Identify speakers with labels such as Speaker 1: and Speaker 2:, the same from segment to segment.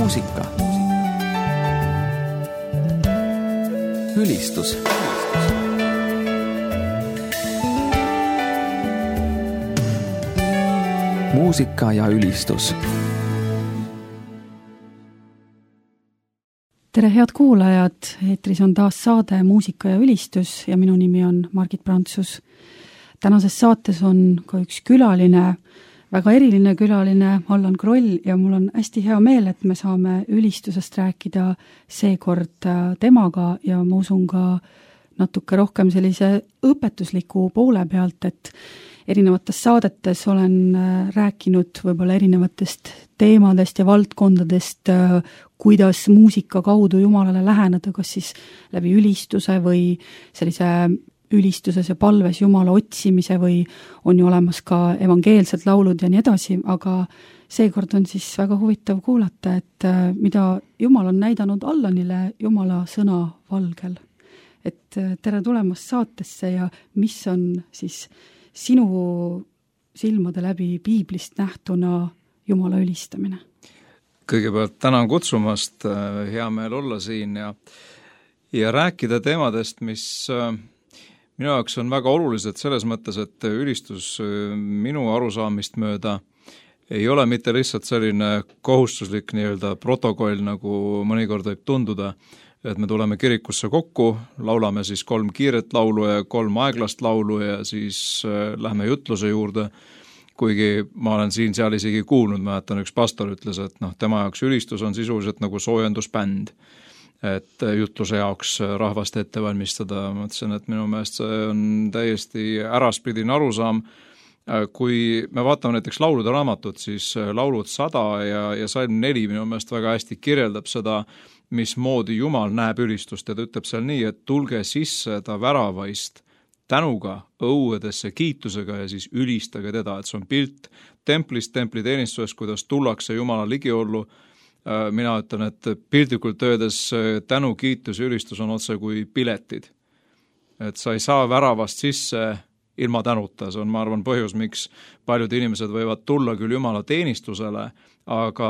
Speaker 1: muusika. Ülistus. Muusika ja ülistus.
Speaker 2: Tere head kuulajad, eetris on taas saade Muusika ja ülistus ja minu nimi on Margit Prantsus. Tänases saates on ka üks külaline, väga eriline külaline, Allan Kroll, ja mul on hästi hea meel, et me saame ülistusest rääkida seekord temaga ja ma usun ka natuke rohkem sellise õpetusliku poole pealt, et erinevates saadetes olen rääkinud võib-olla erinevatest teemadest ja valdkondadest, kuidas muusika kaudu Jumalale läheneda, kas siis läbi ülistuse või sellise ülistuses ja palves Jumala otsimise või on ju olemas ka evangeelsed laulud ja nii edasi, aga seekord on siis väga huvitav kuulata, et mida Jumal on näidanud Allanile Jumala sõna valgel. Et tere tulemast saatesse ja mis on siis sinu silmade läbi piiblist nähtuna Jumala ülistamine?
Speaker 3: Kõigepealt tänan kutsumast, hea meel olla siin ja rääkida teemadest, mis minu jaoks on väga olulised selles mõttes, et ülistus minu arusaamist mööda ei ole mitte lihtsalt selline kohustuslik nii-öelda protokoll, nagu mõnikord võib tunduda, et me tuleme kirikusse kokku, laulame siis 3 kiiret laulu ja 3 aeglast laulu ja siis lähme jutluse juurde, kuigi ma olen siin-seal isegi kuulnud, mäletan üks pastor ütles, et tema jaoks ülistus on sisuliselt nagu soojendusbänd, et jutluse jaoks rahvast ette valmistada. Ma mõtlesin, et minu meelest see on täiesti äraspidine arusaam. Kui me vaatame näiteks laulude raamatut, siis laulud 100 ja salm 4 minu meelest väga hästi kirjeldab seda, mismoodi Jumal näeb ülistust ja ta ütleb seal nii, et tulge sisse ta väravaist tänuga, õuedesse kiitusega ja siis ülistage teda, et see on pilt templist, templi teenistusest, kuidas tullakse Jumala ligiollu. Mina ütlen, et piltlikult öeldes tänu, kiitus ja ülistus on otse kui piletid. Et sa ei saa väravast sisse ilma tänuta, see on, ma arvan, põhjus, miks paljud inimesed võivad tulla küll Jumala teenistusele, aga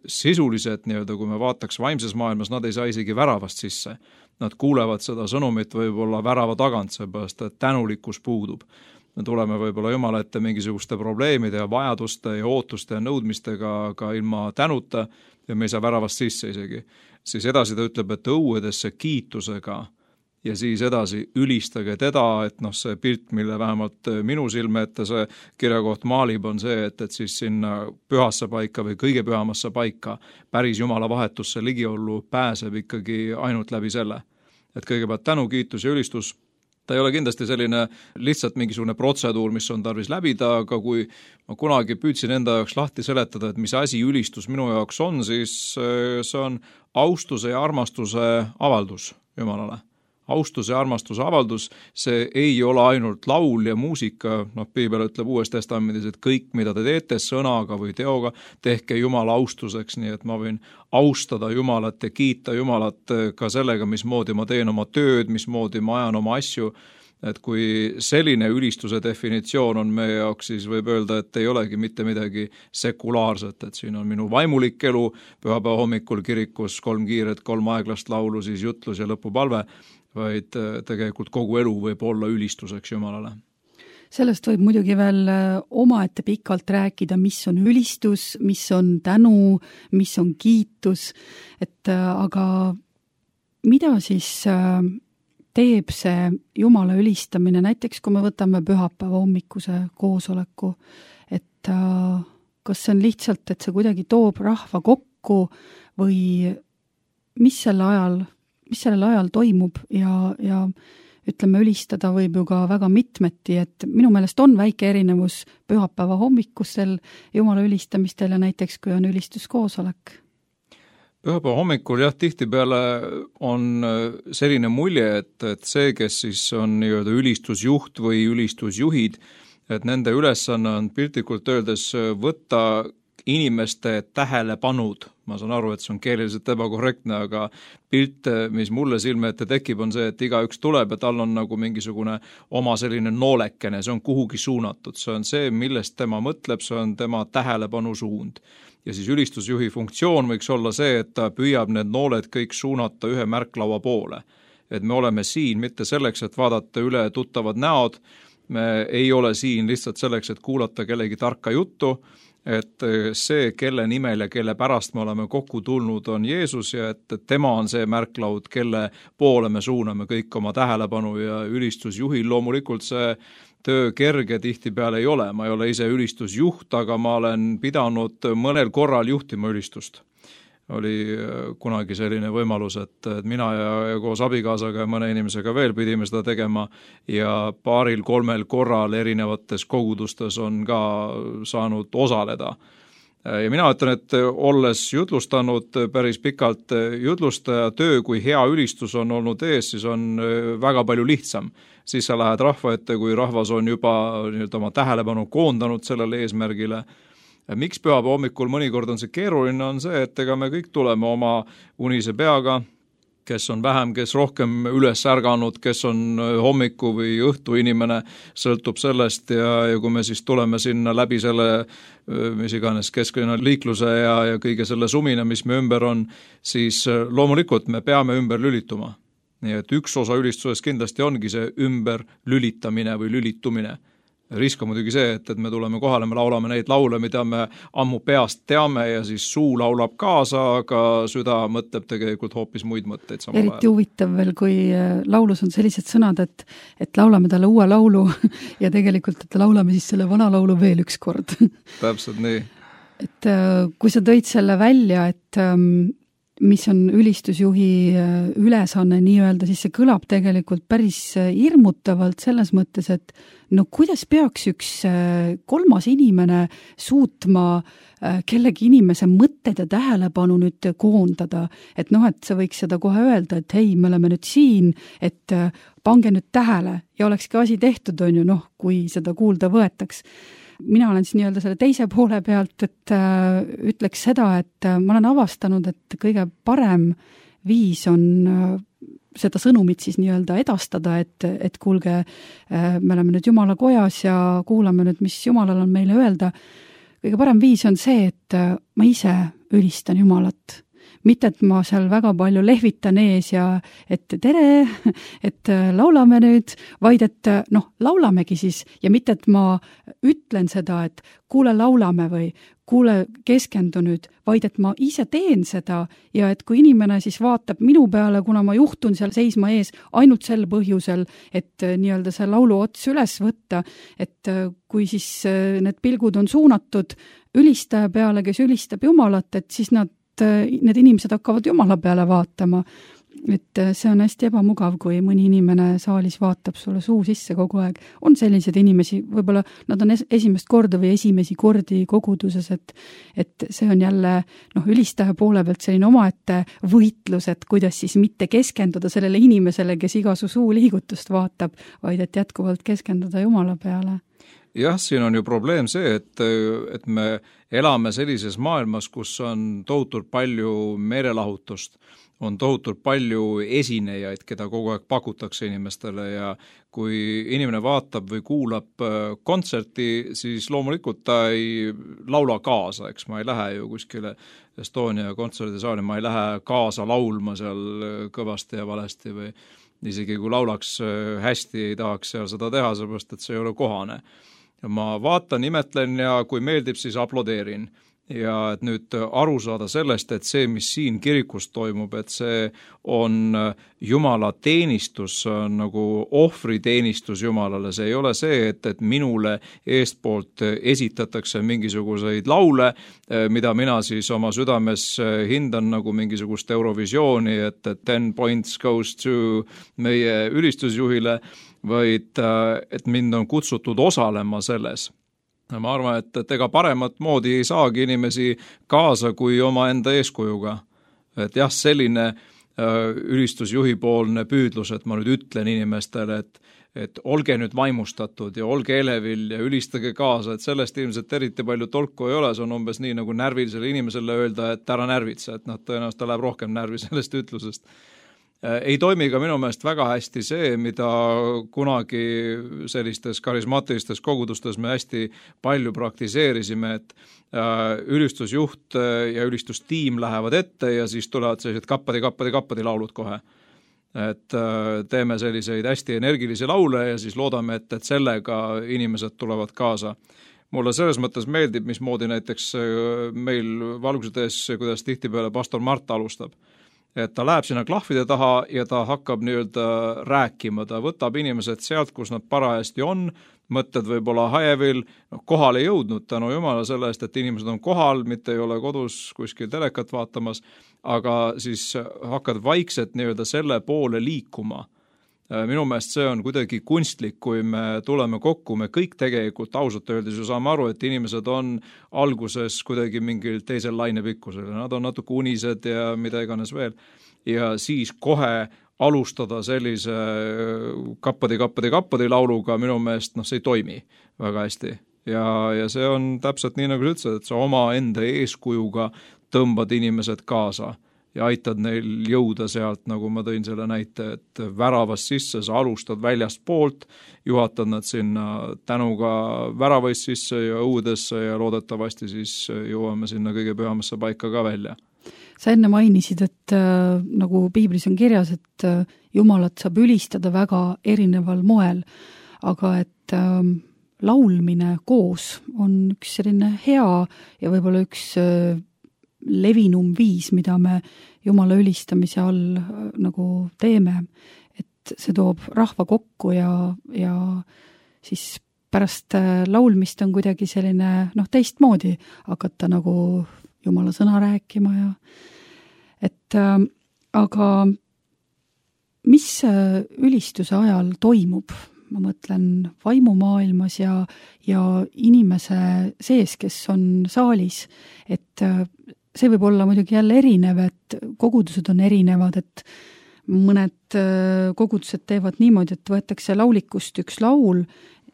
Speaker 3: sisuliselt, kui me vaataks vaimses maailmas, nad ei saa isegi väravast sisse. Nad kuulevad seda sõnumit võib-olla värava tagant, seepärast, et tänulikkus puudub. Me tuleme võib-olla Jumala ette mingisuguste probleemide ja vajaduste ja ootuste ja nõudmistega, aga ilma tänuta ja me ei saa väravast sisse isegi. Siis edasi ta ütleb, et õuedesse kiitusega ja siis edasi ülistage teda, et see pilt, mille vähemalt minu silme ette see kirjakoht maalib, on see, et siis sinna pühasse paika või kõige pühamasse paika päris Jumala vahetusse ligiollu pääseb ikkagi ainult läbi selle. Et kõigepealt tänu, kiitus ja ülistus, ta ei ole kindlasti selline lihtsalt mingisugune protseduur, mis on tarvis läbida, aga kui ma kunagi püüdsin enda jaoks lahti seletada, et mis asi ülistus minu jaoks on, siis see on austuse ja armastuse avaldus Jumalale. Austuse ja armastuse avaldus, see ei ole ainult laul ja muusika, Piibel ütleb Uues Testamendis, et kõik, mida te teete sõnaga või teoga, tehke Jumala austuseks, nii et ma võin austada Jumalat ja kiita Jumalat ka sellega, mismoodi ma teen oma tööd, mismoodi ma ajan oma asju, et kui selline ülistuse definitsioon on meie jaoks, siis võib öelda, et ei olegi mitte midagi sekulaarset, et siin on minu vaimulik elu, pühapäeva hommikul kirikus 3 kiiret, 3 aeglast laulu, siis jutlus ja lõpupalve, vaid tegelikult kogu elu võib olla ülistuseks Jumalale.
Speaker 2: Sellest võib muidugi veel omaette pikalt rääkida, mis on ülistus, mis on tänu, mis on kiitus, aga mida siis teeb see Jumala ülistamine, näiteks kui me võtame pühapäeva hommikuse koosoleku, et kas see on lihtsalt, et see kuidagi toob rahva kokku või mis sellel ajal toimub ja ütleme, ülistada võib ju ka väga mitmeti, et minu meelest on väike erinevus pühapäeva hommikusel Jumala ülistamistel ja näiteks kui on ülistuskoosolek.
Speaker 3: Pühapäeva hommikul tihtipeale on selline mulje, et see, kes siis on nii-öelda ülistusjuht või ülistusjuhid, et nende ülesanne on piltlikult öeldes võtta inimeste tähelepanud. Ma saan aru, et see on keeleliselt ebakorrektne, aga pilt, mis mulle silme ette tekib, on see, et igaüks tuleb ja tal on nagu mingisugune oma selline noolekene, see on kuhugi suunatud, see on see, millest tema mõtleb, see on tema tähelepanu suund. ja siis ülistusjuhi funktsioon võiks olla see, et ta püüab need nooled kõik suunata ühe märklaua poole. Et me oleme siin mitte selleks, et vaadata üle tuttavad näod, me ei ole siin lihtsalt selleks, et kuulata kellegi tarka juttu, et see, kelle nimel ja kelle pärast me oleme kokku tulnud, on Jeesus ja et tema on see märklaud, kelle poole me suuname kõik oma tähelepanu ja ülistusjuhil loomulikult see töö kerge tihtipeale ei ole. Ma ei ole ise ülistusjuht, aga ma olen pidanud mõnel korral juhtima ülistust. Oli kunagi selline võimalus, et mina ja koos abikaasaga ja mõne inimesega veel pidime seda tegema ja 2-3 korral erinevates kogudustes on ka saanud osaleda. Ja mina ütlen, et olles jutlustanud päris pikalt jutlustaja töö, kui hea ülistus on olnud ees, siis on väga palju lihtsam. Siis sa lähed rahva ette, kui rahvas on juba oma tähelepanu koondanud sellele eesmärgile. Miks pühapäeva hommikul mõnikord on see keeruline, on see, et ega me kõik tuleme oma unise peaga, kes on vähem, kes rohkem üles ärganud, kes on hommiku või õhtu inimene, sõltub sellest ja kui me siis tuleme sinna läbi selle, mis iganes kesklinna liikluse ja kõige selle sumina, mis me ümber on, siis loomulikult me peame ümber lülituma. Nii et üks osa ülistuses kindlasti ongi see ümber lülitamine või lülitumine. Risk on muidugi see, et me tuleme kohale, me laulame neid laule, mida me ammu peast teame ja siis suu laulab kaasa, aga süda mõtleb tegelikult hoopis muid mõtteid samal ajal.
Speaker 2: Eriti huvitav veel, kui laulus on sellised sõnad, et laulame talle uue laulu ja tegelikult, et laulame siis selle vana laulu veel üks kord.
Speaker 3: Täpselt nii.
Speaker 2: Et kui sa tõid selle välja, et mis on ülistusjuhi ülesanne nii-öelda, siis see kõlab tegelikult päris hirmutavalt selles mõttes, et no kuidas peaks üks kolmas inimene suutma kellegi inimese mõtted ja tähelepanu nüüd koondada, et et sa võiks seda kohe öelda, et hei, me oleme nüüd siin, et pange nüüd tähele ja olekski asi tehtud, on ju, kui seda kuulda võetaks. Mina olen siis nii-öelda selle teise poole pealt, et ütleks seda, et ma olen avastanud, et kõige parem viis on seda sõnumit siis nii-öelda edastada, et kuulge, me oleme nüüd Jumala kojas ja kuulame nüüd, mis Jumalal on meile öelda. Kõige parem viis on see, et ma ise ülistan Jumalat. Mitte, et ma seal väga palju lehvitan ees ja et tere, et laulame nüüd, vaid et laulamegi siis ja mitte, et ma ütlen seda, et kuule, laulame või kuule, keskendu nüüd, vaid et ma ise teen seda ja et kui inimene siis vaatab minu peale, kuna ma juhtun seal seisma ees ainult sel põhjusel, et nii-öelda see laulu ots üles võtta, et kui siis need pilgud on suunatud ülistaja peale, kes ülistab Jumalat, et siis need inimesed hakkavad Jumala peale vaatama. Et see on hästi ebamugav, kui mõni inimene saalis vaatab sulle suu sisse kogu aeg. On sellised inimesi, võib-olla nad on esimest korda või esimesi kordi koguduses, et see on jälle ülistaja poole pealt selline omaette võitlus, et kuidas siis mitte keskenduda sellele inimesele, kes iga su suu liigutust vaatab, vaid et jätkuvalt keskenduda Jumala peale.
Speaker 3: Jah, siin on ju probleem see, et me elame sellises maailmas, kus on tohutult palju meelelahutust, on tohutult palju esinejaid, keda kogu aeg pakutakse inimestele ja kui inimene vaatab või kuulab kontserti, siis loomulikult ta ei laula kaasa, eks ma ei lähe ju kuskile Estonia kontserdisaali, ma ei lähe kaasa laulma seal kõvasti ja valesti või isegi kui laulaks hästi, ei tahaks seal seda teha, sellepärast et see ei ole kohane. Ma vaatan, imetlen ja kui meeldib, siis aplodeerin. Ja et nüüd aru saada sellest, et see, mis siin kirikus toimub, et see on Jumala teenistus, on nagu ohvriteenistus Jumalale. See ei ole see, et minule eestpoolt esitatakse mingisuguseid laule, mida mina siis oma südames hindan nagu mingisugust Eurovisiooni, et 10 points goes to meie ülistusjuhile, vaid et mind on kutsutud osalema selles. Ma arvan, et ega paremat moodi ei saagi inimesi kaasa kui oma enda eeskujuga. Et jah, selline ülistusjuhipoolne püüdlus, et ma nüüd ütlen inimestele, et olge nüüd vaimustatud ja olge elevil ja ülistage kaasa, et sellest ilmselt eriti palju tolku ei ole, see on umbes nii nagu närvilisele inimesele öelda, et ära närvitse, et tõenäoliselt ta läheb rohkem närvi sellest ütlusest. Ei toimi ka minu meelest väga hästi see, mida kunagi sellistes karismaatilistes kogudustes me hästi palju praktiseerisime, et ülistusjuht ja ülistustiim lähevad ette ja siis tulevad sellised kappadi laulud kohe. Et teeme selliseid hästi energilisi laule ja siis loodame, et sellega inimesed tulevad kaasa. Mulle selles mõttes meeldib, mismoodi näiteks meil Valguse tees, kuidas tihtipeale pastor Mart alustab. Et ta läheb sinna klahvide taha ja ta hakkab nii-öelda rääkima, ta võtab inimesed sealt, kus nad parajasti on, mõtted võib-olla hajevil, kohale jõudnud tänu Jumala selle eest, et inimesed on kohal, mitte ei ole kodus kuskil telekat vaatamas, aga siis hakkad vaikselt nii-öelda selle poole liikuma. Minu meelest see on kuidagi kunstlik, kui me tuleme kokku, me kõik tegelikult ausalt öeldes ju saame aru, et inimesed on alguses kuidagi mingil teisel lainepikkusel, nad on natuke unised ja mida iganes veel. Ja siis kohe alustada sellise kappadi lauluga minu meelest, see ei toimi väga hästi. Ja see on täpselt nii, nagu sa ütlesid, et sa oma enda eeskujuga tõmbad inimesed kaasa ja aitad neil jõuda sealt, nagu ma tõin selle näite, et väravast sisse sa alustad väljast poolt, juhatad nad sinna tänuga väravast sisse ja õudesse ja loodetavasti siis jõuame sinna kõige pühamasse paika ka välja.
Speaker 2: Sa enne mainisid, et nagu piiblis on kirjas, et Jumalat saab ülistada väga erineval moel, aga et laulmine koos on üks selline hea ja võib-olla üks levinum viis, mida me Jumala ülistamise all nagu teeme, et see toob rahva kokku ja siis pärast laulmist on kuidagi selline teistmoodi hakata nagu Jumala sõna rääkima ja et aga mis ülistuse ajal toimub? Ma mõtlen vaimumaailmas ja inimese sees, kes on saalis, et see võib olla muidugi jälle erinev, et kogudused on erinevad, et mõned kogudused teevad niimoodi, et võetakse laulikust üks laul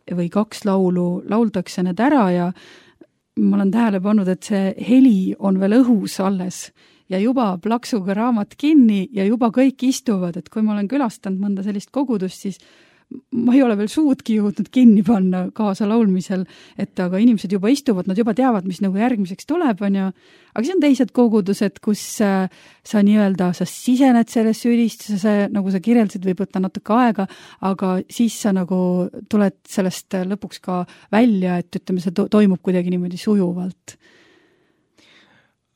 Speaker 2: või kaks laulu, lauldakse need ära ja ma olen tähele pannud, et see heli on veel õhus alles ja juba plaksuga raamat kinni ja juba kõik istuvad, et kui ma olen külastanud mõnda sellist kogudust, siis ma ei ole veel suudki jõudnud kinni panna kaasa laulmisel, et aga inimesed juba istuvad, nad juba teavad, mis nagu järgmiseks tuleb, aga see on teised kogudused, kus sa nii-öelda, sa sisened sellesse ülistuse, nagu sa kirjeldasid, võib võtta natuke aega, aga siis sa nagu tuled sellest lõpuks ka välja, et ütleme, see toimub kuidagi niimoodi sujuvalt.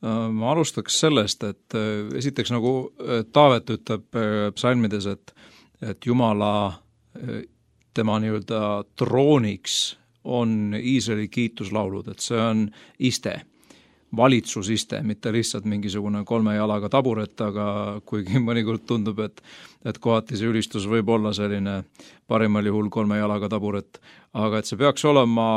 Speaker 3: Ma alustaks sellest, et esiteks nagu Taavet ütleb psalmides, et Jumala tema nii-öelda trooniks on Iisraeli kiituslaulud, et see on iste, valitsusiste, mitte lihtsalt mingisugune 3 jalaga taburet, aga kuigi mõnikord tundub, et kohati see ülistus võib olla selline parimal juhul 3 jalaga taburet, aga et see peaks olema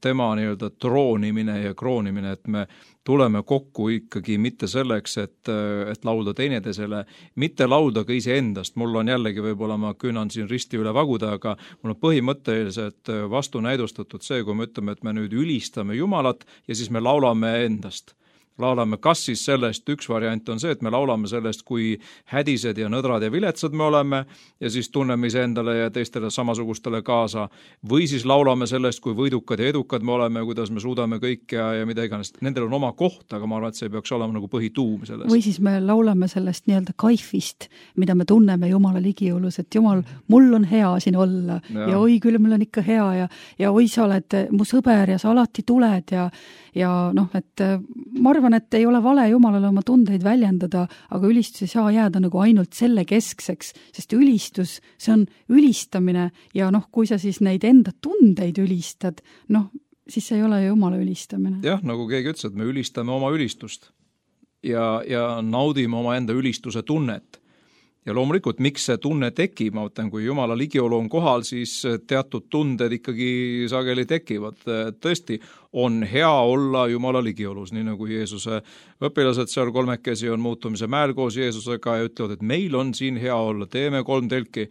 Speaker 3: tema nii-öelda troonimine ja kroonimine, et me tuleme kokku ikkagi mitte selleks, et laulda teineteisele, mitte laulda ka iseendast. Mul on jällegi võib-olla, ma küünan siin risti üle vaguda, aga mul on põhimõtteliselt vastunäidustatud see, kui me ütleme, et me nüüd ülistame Jumalat ja siis me laulame endast. Laulame kas siis sellest, üks variant on see, et me laulame sellest, kui hädised ja nõdrad ja viletsad me oleme ja siis tunneme iseendale ja teistele samasugustele kaasa, või siis laulame sellest, kui võidukad ja edukad me oleme, kuidas me suudame kõik ja mida iganes. Nendel on oma koht, aga ma arvan, et see peaks olema nagu põhituum sellest.
Speaker 2: Või siis me laulame sellest nii-öelda kaifist, mida me tunneme Jumala ligijõulus, et Jumal, mul on hea siin olla ja oi küll, mul on ikka hea ja oi, sa oled mu sõber ja sa alati tuled ja et ma arvan, et ei ole vale Jumalale oma tundeid väljendada, aga ülistus ei saa jääda nagu ainult selle keskseks, sest ülistus, see on ülistamine ja kui sa siis neid enda tundeid ülistad, siis see ei ole Jumala ülistamine.
Speaker 3: Jah, nagu keegi ütles, et me ülistame oma ülistust ja naudime oma enda ülistuse tunnet. Ja loomulikult, miks see tunne tekib, ma mõtlen, kui Jumala ligiolu on kohal, siis teatud tunded ikkagi sageli tekivad. Tõesti, on hea olla Jumala ligiolus, nii nagu Jeesuse õpilased seal 3 on muutumise mäel koos Jeesusega ja ütlevad, et meil on siin hea olla, teeme 3 telki.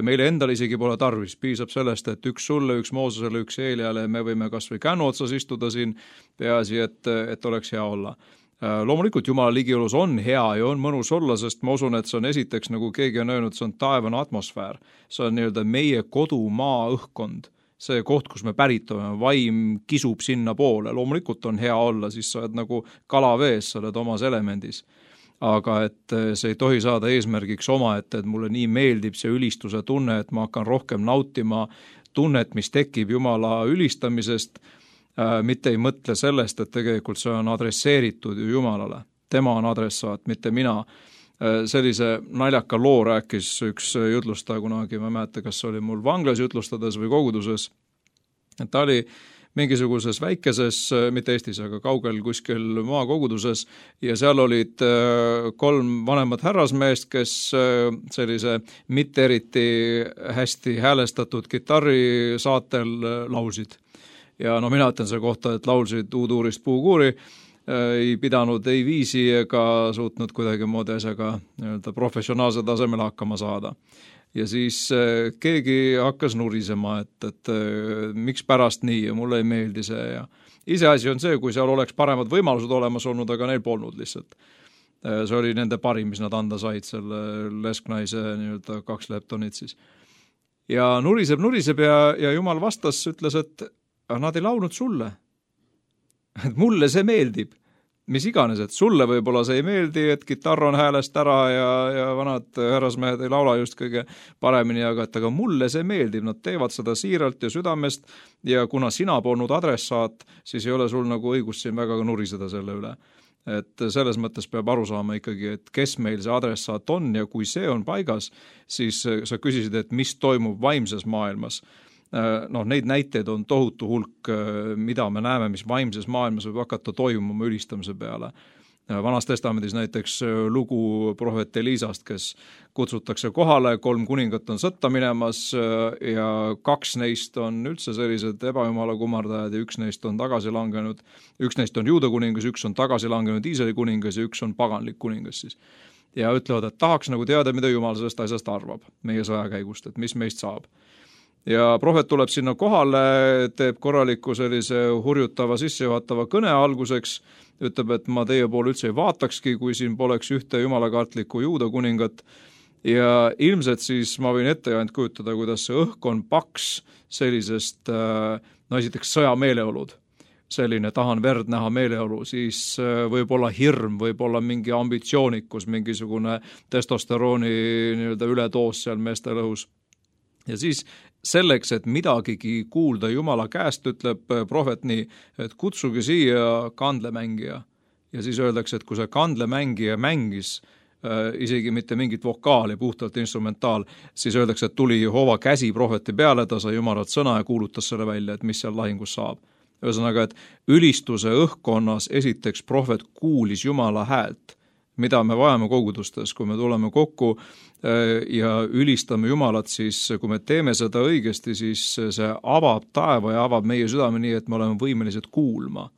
Speaker 3: Meile endal isegi pole tarvis, piisab sellest, et üks sulle, üks Moosesele, üks Eeliale, me võime kas või kännu otsas istuda siin, peaasi, et oleks hea olla. Loomulikult Jumala ligiolus on hea ja on mõnus olla, sest ma usun, et see on esiteks, nagu keegi on öelnud, see on taevane atmosfäär. See on nii-öelda meie kodumaa õhkkond. See koht, kus me pärit oleme, vaim kisub sinna poole. Loomulikult on hea olla, siis sa oled nagu kalavees, sa oled omas elemendis. Aga et see ei tohi saada eesmärgiks et mulle nii meeldib see ülistuse tunne, et ma hakkan rohkem nautima tunnet, mis tekib Jumala ülistamisest, mitte ei mõtle sellest, et tegelikult see on adresseeritud ju Jumalale. Tema on adressaat, mitte mina. Sellise naljaka loo rääkis üks jutlustaja kunagi, ma ei mäleta, kas see oli mul vanglas jutlustades või koguduses. Ta oli mingisuguses väikeses, mitte Eestis, aga kaugel kuskil maakoguduses ja seal olid 3 vanemat härrasmeest, kes sellise mitte eriti hästi häälestatud kitarri saatel laulsid. Ja mina ütlen selle kohta, et laulsid uuduurist puukuuri, ei pidanud ei viisi ega suutnud kuidagi moodi asjaga professionaalse tasemele hakkama saada. Ja siis keegi hakkas nurisema, et miks pärast nii ja mulle ei meeldi see. Ja iseasi on see, kui seal oleks paremad võimalused olemas olnud, aga neil polnud lihtsalt. See oli nende parim, mis nad anda said, selle lesknaise 2 leptonit siis. Ja nuriseb ja Jumal vastas, ütles, et nad ei laulnud sulle. Et mulle see meeldib. Mis iganes, et sulle võib-olla see ei meeldi, et kitarr on häälest ära ja vanad härrasmehed ei laula just kõige paremini, aga mulle see meeldib. Nad teevad seda siiralt ja südamest ja kuna sina polnud adressaat, siis ei ole sul nagu õigus siin väga nuriseda selle üle. Et selles mõttes peab aru saama ikkagi, et kes meil see adressaat on ja kui see on paigas, siis sa küsisid, et mis toimub vaimses maailmas. Neid näiteid on tohutu hulk, mida me näeme, mis vaimses maailmas võib hakata toimuma ülistamise peale. Vanas testamendis näiteks lugu prohvet Elisast, kes kutsutakse kohale, 3 kuningat on sõtta minemas ja 2 neist on üldse sellised ebajumala kummardajad ja 1 neist on tagasi langenud. 1 neist on Juuda kuningas, 1 on tagasi langenud Iisraeli kuningas ja 1 on paganlik kuningas siis. Ja ütlevad, et tahaks nagu teada, mida Jumal sellest asjast arvab meie sõjakäigust, et mis meist saab. Ja prohvet tuleb sinna kohale, teeb korraliku sellise hurjutava sissejuhatava kõne alguseks, ütleb, et ma teie poole üldse ei vaatakski, kui siin poleks ühte jumalakartlikku Juuda kuningat. Ja ilmselt siis ma võin ette ainult kujutada, kuidas see õhk on paks sellisest, esiteks sõjameeleolud. Selline tahan verd näha meeleolu, siis võib olla hirm, võib olla mingi ambitsioonikus, mingisugune testosterooni ületoos seal meestel õhus. Ja siis selleks, et midagigi kuulda Jumala käest, ütleb prohvet nii, et kutsuge siia kandlemängija. Ja siis öeldakse, et kui see kandlemängija mängis isegi mitte mingit vokaali, puhtalt instrumentaal, siis öeldakse, et tuli Jehova käsi prohveti peale, ta sai Jumalalt sõna ja kuulutas selle välja, et mis seal lahingus saab. Ühesõnaga, et ülistuse õhkkonnas esiteks prohvet kuulis Jumala häält, mida me vajame kogudustes, kui me tuleme kokku ja ülistame Jumalat, siis kui me teeme seda õigesti, siis see avab taeva ja avab meie südame nii, et me oleme võimelised kuulma.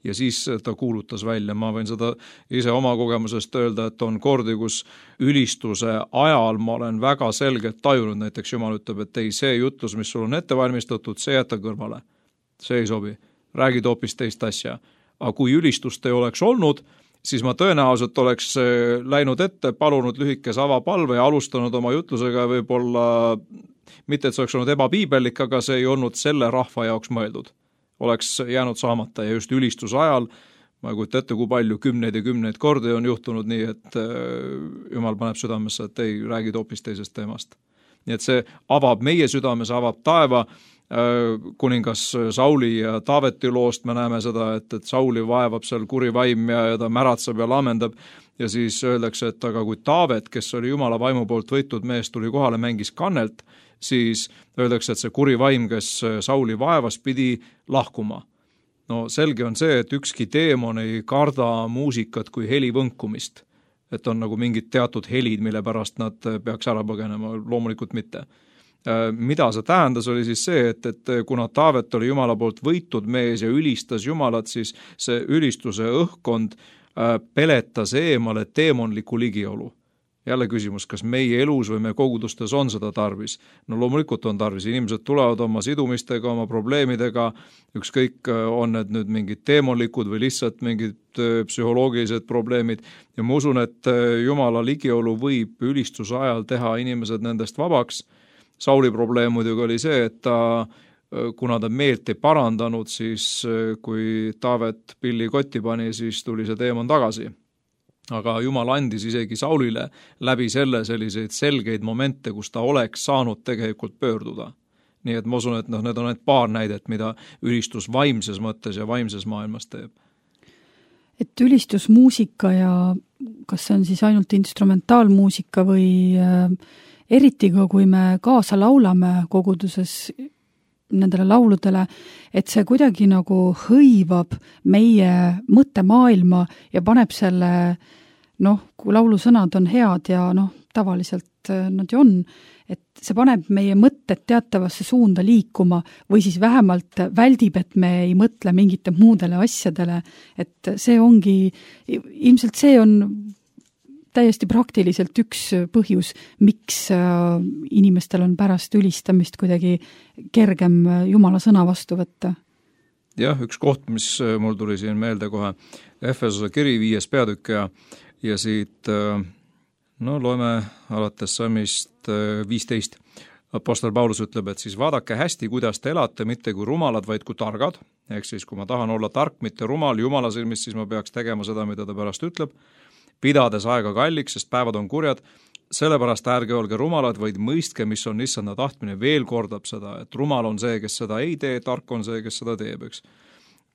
Speaker 3: Ja siis ta kuulutas välja, ma võin seda ise oma kogemusest öelda, et on kordi, kus ülistuse ajal ma olen väga selgelt tajunud, näiteks Jumal ütleb, et ei, see jutlus, mis sul on ette valmistatud, see jätta kõrvale. See ei sobi, räägid hoopis teist asja. Aga kui ülistust ei oleks olnud, siis ma tõenäoliselt oleks läinud ette, palunud lühikese avapalve ja alustanud oma jutlusega võib-olla, mitte et see oleks olnud ebapiibellik, aga see ei olnud selle rahva jaoks mõeldud. Oleks jäänud saamata ja just ülistuse ajal, ma ei kujuta ette, kui palju 10 ja 10 kordi on juhtunud nii, et Jumal paneb südamesse, et ei räägid hoopis teisest teemast. Nii et see avab meie südames, avab taeva. Kuningas Sauli ja Taaveti loost me näeme seda, et Sauli vaevab seal kuri vaim ja ta märatseb ja laamendab ja siis öeldakse, et aga kui Taavet, kes oli Jumala vaimu poolt võitud mees, tuli kohale, mängis kannelt, siis öeldakse, et see kuri vaim, kes Sauli vaevas, pidi lahkuma. No selge on see, et ükski teemon ei karda muusikat kui heli võnkumist, et on nagu mingid teatud helid, mille pärast nad peaks ära põgenema, loomulikult mitte. Mida see tähendas, oli siis see, et kuna Taavet oli Jumala poolt võitud mees ja ülistas Jumalat, siis see ülistuse õhkkond peletas eemale teemonliku ligiolu. jälle küsimus, kas meie elus või meie kogudustes on seda tarvis? No loomulikult on tarvis, inimesed tulevad oma sidumistega, oma probleemidega, ükskõik on need nüüd mingid teemalikud või lihtsalt mingid psühholoogilised probleemid ja ma usun, et Jumala ligiolu võib ülistuse ajal teha inimesed nendest vabaks. Sauli probleem muidugi oli see, et kuna ta meelt ei parandanud, siis kui Taavet pilli kotti pani, siis tuli see teemon tagasi. Aga Jumal andis isegi Saulile läbi selle selliseid selgeid momente, kus ta oleks saanud tegelikult pöörduda. Nii et ma usun, et need on need paar näidet, mida ülistus vaimses mõttes ja vaimses maailmas teeb.
Speaker 2: Et ülistusmuusika ja kas see on siis ainult instrumentaalmuusika või eriti ka, kui me kaasa laulame koguduses nendele lauludele, et see kuidagi nagu hõivab meie mõttemaailma ja paneb selle, kui laulusõnad on head ja tavaliselt nad ju on, et see paneb meie mõtted teatavasse suunda liikuma või siis vähemalt väldib, et me ei mõtle mingite muudele asjadele, et see ongi, ilmselt see on täiesti praktiliselt üks põhjus, miks inimestel on pärast ülistamist kuidagi kergem Jumala sõna vastu võtta.
Speaker 3: Jah, üks koht, mis mul tuli siin meelde kohe, Efesose kiri 5. peatükk ja siit, loeme alates salmist 15. Apostel Paulus ütleb, et siis vaadake hästi, kuidas te elate, mitte kui rumalad, vaid kui targad. Ehk siis, kui ma tahan olla tark, mitte rumal Jumala silmis, siis ma peaks tegema seda, mida ta pärast ütleb. Pidades aega kalliks, sest päevad on kurjad, sellepärast ärge olge rumalad, vaid mõistke, mis on issanda tahtmine, veel kordab seda, et rumal on see, kes seda ei tee, tark on see, kes seda teeb, eks.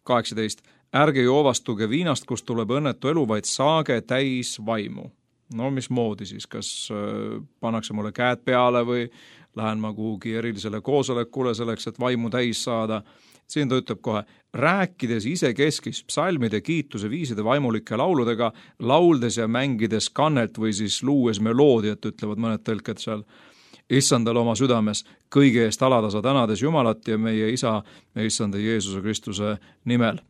Speaker 3: 18. Ärge joovastuge viinast, kust tuleb õnnetu elu, vaid saage täis vaimu. No mismoodi siis, kas pannakse mulle käed peale või lähen ma kuhugi erilisele koosolekule selleks, et vaimu täis saada. Siin ta ütleb kohe, rääkides isekeskis psalmide, kiituse, viiside, vaimulike lauludega, lauldes ja mängides kannelt või siis luues meloodiat, ütlevad mõned tõlked seal, issandal oma südames, kõige eest alatasa tänades Jumalat ja meie isa, meie issanda Jeesuse Kristuse nimel.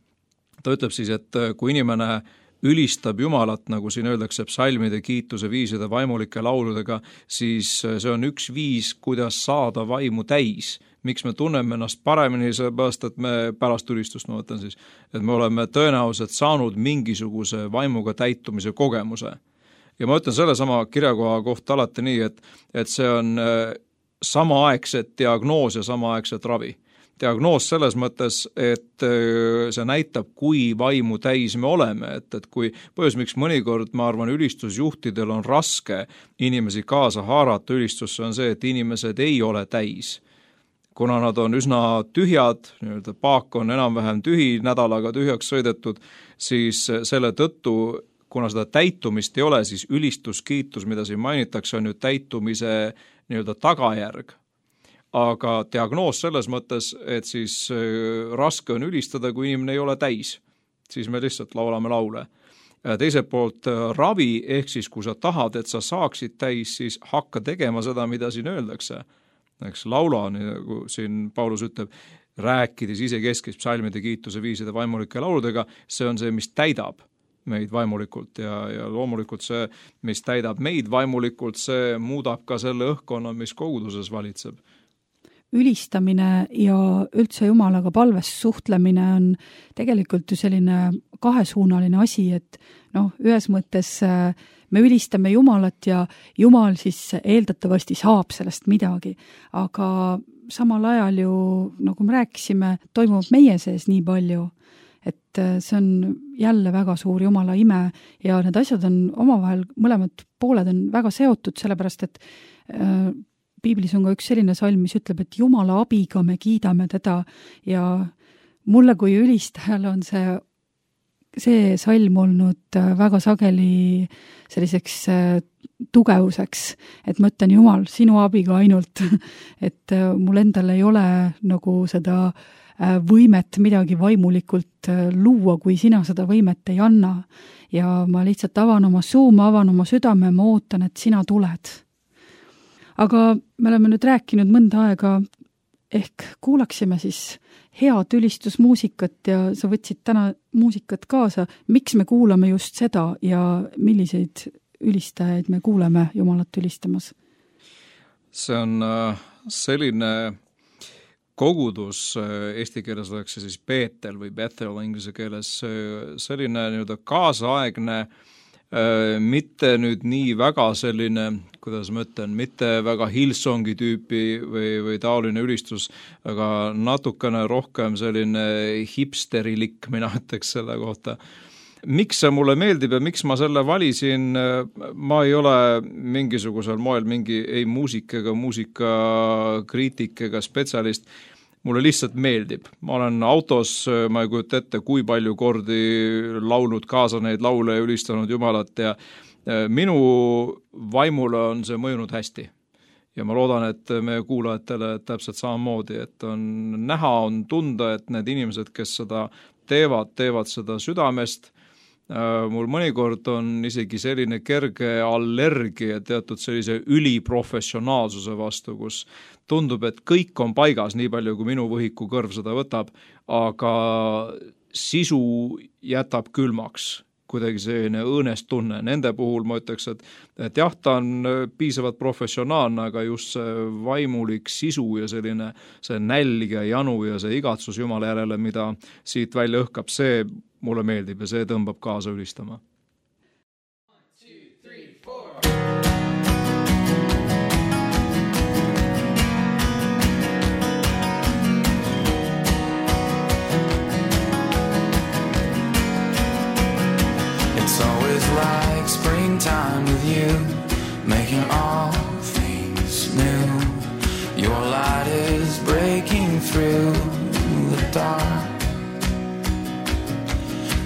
Speaker 3: Ta ütleb siis, et kui inimene ülistab Jumalat, nagu siin öeldakse, psalmide, kiituse, viiside, vaimulike lauludega, siis see on üks viis, kuidas saada vaimu täis. Miks me tunneme ennast paremini, sellepärast, et me pärast ülistust, ma mõtlen siis, et me oleme tõenäoliselt saanud mingisuguse vaimuga täitumise kogemuse. Ja ma ütlen selle sama kirjakoha kohta alati nii, et see on samaaegset diagnoos ja samaaegset ravi. Diagnoos selles mõttes, et see näitab, kui vaimu täis me oleme, et kui põhjus, miks mõnikord, ma arvan, ülistusjuhtidel on raske inimesi kaasa haarata ülistusse, on see, et inimesed ei ole täis. Kuna nad on üsna tühjad, paak on enam-vähem tühi, nädalaga tühjaks sõidetud, siis selle tõttu, kuna seda täitumist ei ole, siis ülistuskiitus, mida siin mainitakse, on ju täitumise tagajärg. Aga diagnoos selles mõttes, et siis raske on ülistada, kui inimene ei ole täis. Siis me lihtsalt laulame laule. Teiselt poolt ravi, ehk siis kui sa tahad, et sa saaksid täis, siis hakka tegema seda, mida siin öeldakse. Eks laula, nagu siin Paulus ütleb, rääkides isekeskis psalmide, kiituse, viiside, vaimulike lauludega, see on see, mis täidab meid vaimulikult ja loomulikult see, mis täidab meid vaimulikult, see muudab ka selle õhkkonna, mis koguduses valitseb.
Speaker 2: Ülistamine ja üldse Jumalaga palves suhtlemine on tegelikult ju selline kahesuunaline asi, et ühes mõttes me ülistame Jumalat ja Jumal siis eeldatavasti saab sellest midagi, aga samal ajal ju, nagu me rääkisime, toimub meie sees nii palju, et see on jälle väga suur Jumala ime ja need asjad on omavahel, mõlemad pooled on väga seotud, sellepärast et Piiblis on ka üks selline salm, mis ütleb, et Jumala abiga me kiidame teda ja mulle kui ülistajal on see salm olnud väga sageli selliseks tugevuseks, et ma ütlen, Jumal, sinu abiga ainult, et mul endal ei ole nagu seda võimet midagi vaimulikult luua, kui sina seda võimet ei anna. Ja ma lihtsalt avan oma suu, ma avan oma südame, ma ootan, et sina tuled. Aga me oleme nüüd rääkinud mõnda aega, ehk kuulaksime siis head ülistusmuusikat ja sa võtsid täna muusikat kaasa. Miks me kuulame just seda ja milliseid ülistajaid me kuuleme Jumalat ülistamas? See
Speaker 3: on selline kogudus, eesti keeles oleks see siis Beetel või Bethel inglise keeles, selline nii-öelda kaasaegne, mitte nüüd nii väga selline, kuidas ma ütlen, mitte väga Hillsongi tüüpi või taoline ülistus, aga natukene rohkem selline hipsterilik, mina ütleks selle kohta. Miks see mulle meeldib ja miks ma selle valisin, ma ei ole mingisugusel moel ei muusik ega muusikakriitik ega spetsialist, mulle lihtsalt meeldib. Ma olen autos, ma ei kujuta ette, kui palju kordi laulnud kaasa neid laule ja ülistanud Jumalat ja minu vaimule on see mõjunud hästi. Ja ma loodan, et meie kuulajatele täpselt samamoodi, et on näha, on tunda, et need inimesed, kes seda teevad seda südamest. Mul mõnikord on isegi selline kerge allergia teatud sellise üliprofessionaalsuse vastu, kus tundub, et kõik on paigas, nii palju kui minu võhiku kõrv seda võtab, aga sisu jätab külmaks, kuidagi selline õõnest tunne. Nende puhul ma ütleks, et jah, ta on piisavalt professionaalne, aga just see vaimulik sisu ja selline see nälg ja janu ja see igatsus Jumala järele, mida siit välja õhkab, see mulle meeldib ja see tõmbab kaasa ülistama.
Speaker 4: It's always like springtime with you, making all things new. Your light is breaking through the dark.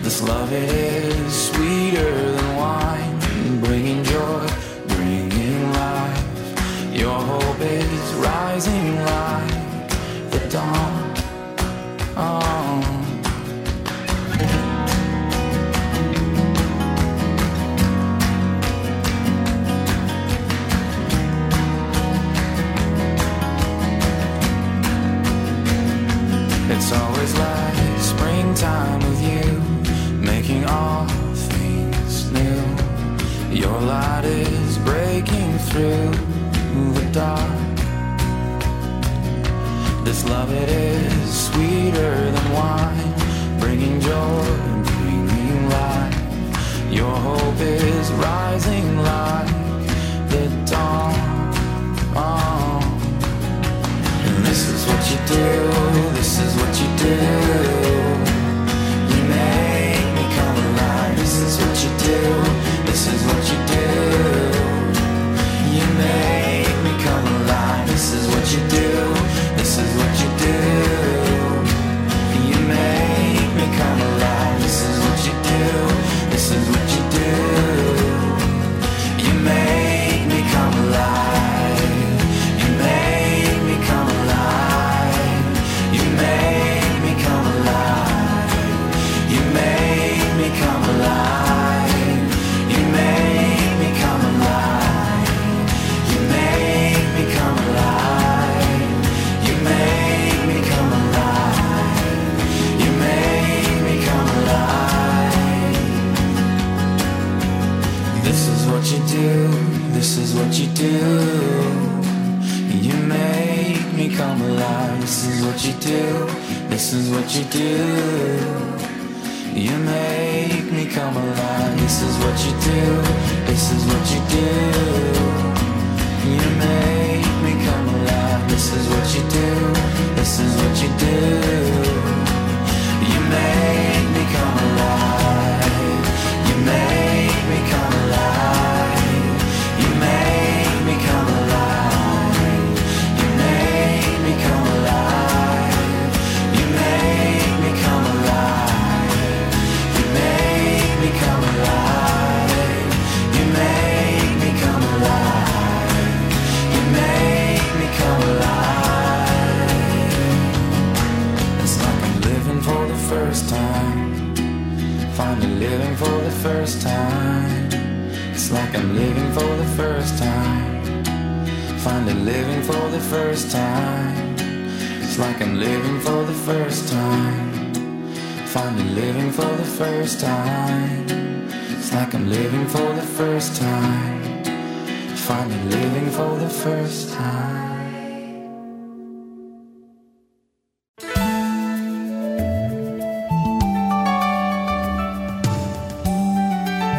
Speaker 4: This love, it is sweeter than wine, bringing joy, bringing life. Your hope is rising like the dawn. Oh. It's always like springtime with you, making all things new. Your light is breaking through the dark. This love, it is sweeter than wine, bringing joy, bringing life. Your hope is rising like the dawn. Oh. And this is what you do, this is what you do. This is what you do, this is what you do. You make me come alive. This is what you do, this is what you do. You make me come alive. This is what you do, this is what you do. You make me come alive. You make me come alive. You make me come alive. You make me come alive. You make me come alive. You make me come alive. You make me come alive. You make me come alive. This is what you do, this is what you do. You make me come alive. This is what you do, this is what you do. You make me come alive. This is what you do, this is what you do. You make me come alive. This is what you do, this is what you do. You make me come alive. You make me come alive. You make me come alive. You make me come alive. You make me come alive. You make me come alive. You make me come alive. You make me come alive. It's like I'm living for the first time, finally living for the first time. It's like I'm living for the first time, finally living for the first time. It's like I'm living for the first time, finally living for the first time. It's like I'm living for the first time, finally living for the first time.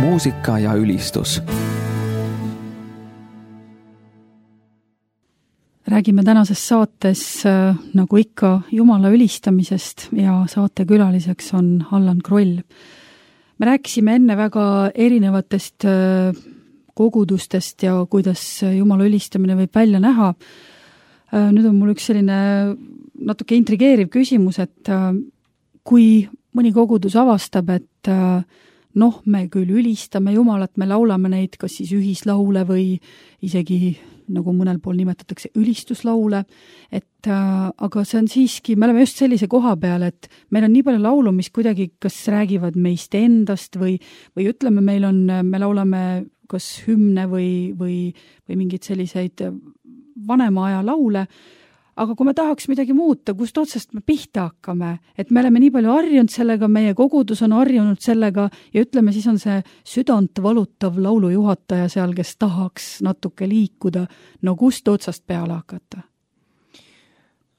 Speaker 1: Muusika ja ülistus.
Speaker 2: Räägime tänases saates nagu ikka Jumala ülistamisest ja saatekülaliseks on Allan Kroll. Me rääkisime enne väga erinevatest kogudustest ja kuidas Jumala ülistamine võib välja näha. Nüüd on mul üks selline natuke intrigeeriv küsimus, et kui mõni kogudus avastab, et me küll ülistame Jumalat, me laulame neid kas siis ühislaule või isegi, nagu mõnel pool nimetatakse, ülistuslaule, et aga see on siiski, me oleme just sellise koha peal, et meil on nii palju laulu, mis kuidagi kas räägivad meist endast või ütleme, me laulame kas hümne või mingeid selliseid vanema aja laule, aga kui me tahaks midagi muuta, kust otsast me pihta hakkame, et me oleme nii palju harjunud sellega, meie kogudus on harjunud sellega ja ütleme, siis on see südant valutav laulujuhataja seal, kes tahaks natuke liikuda. No kust otsast peale hakata?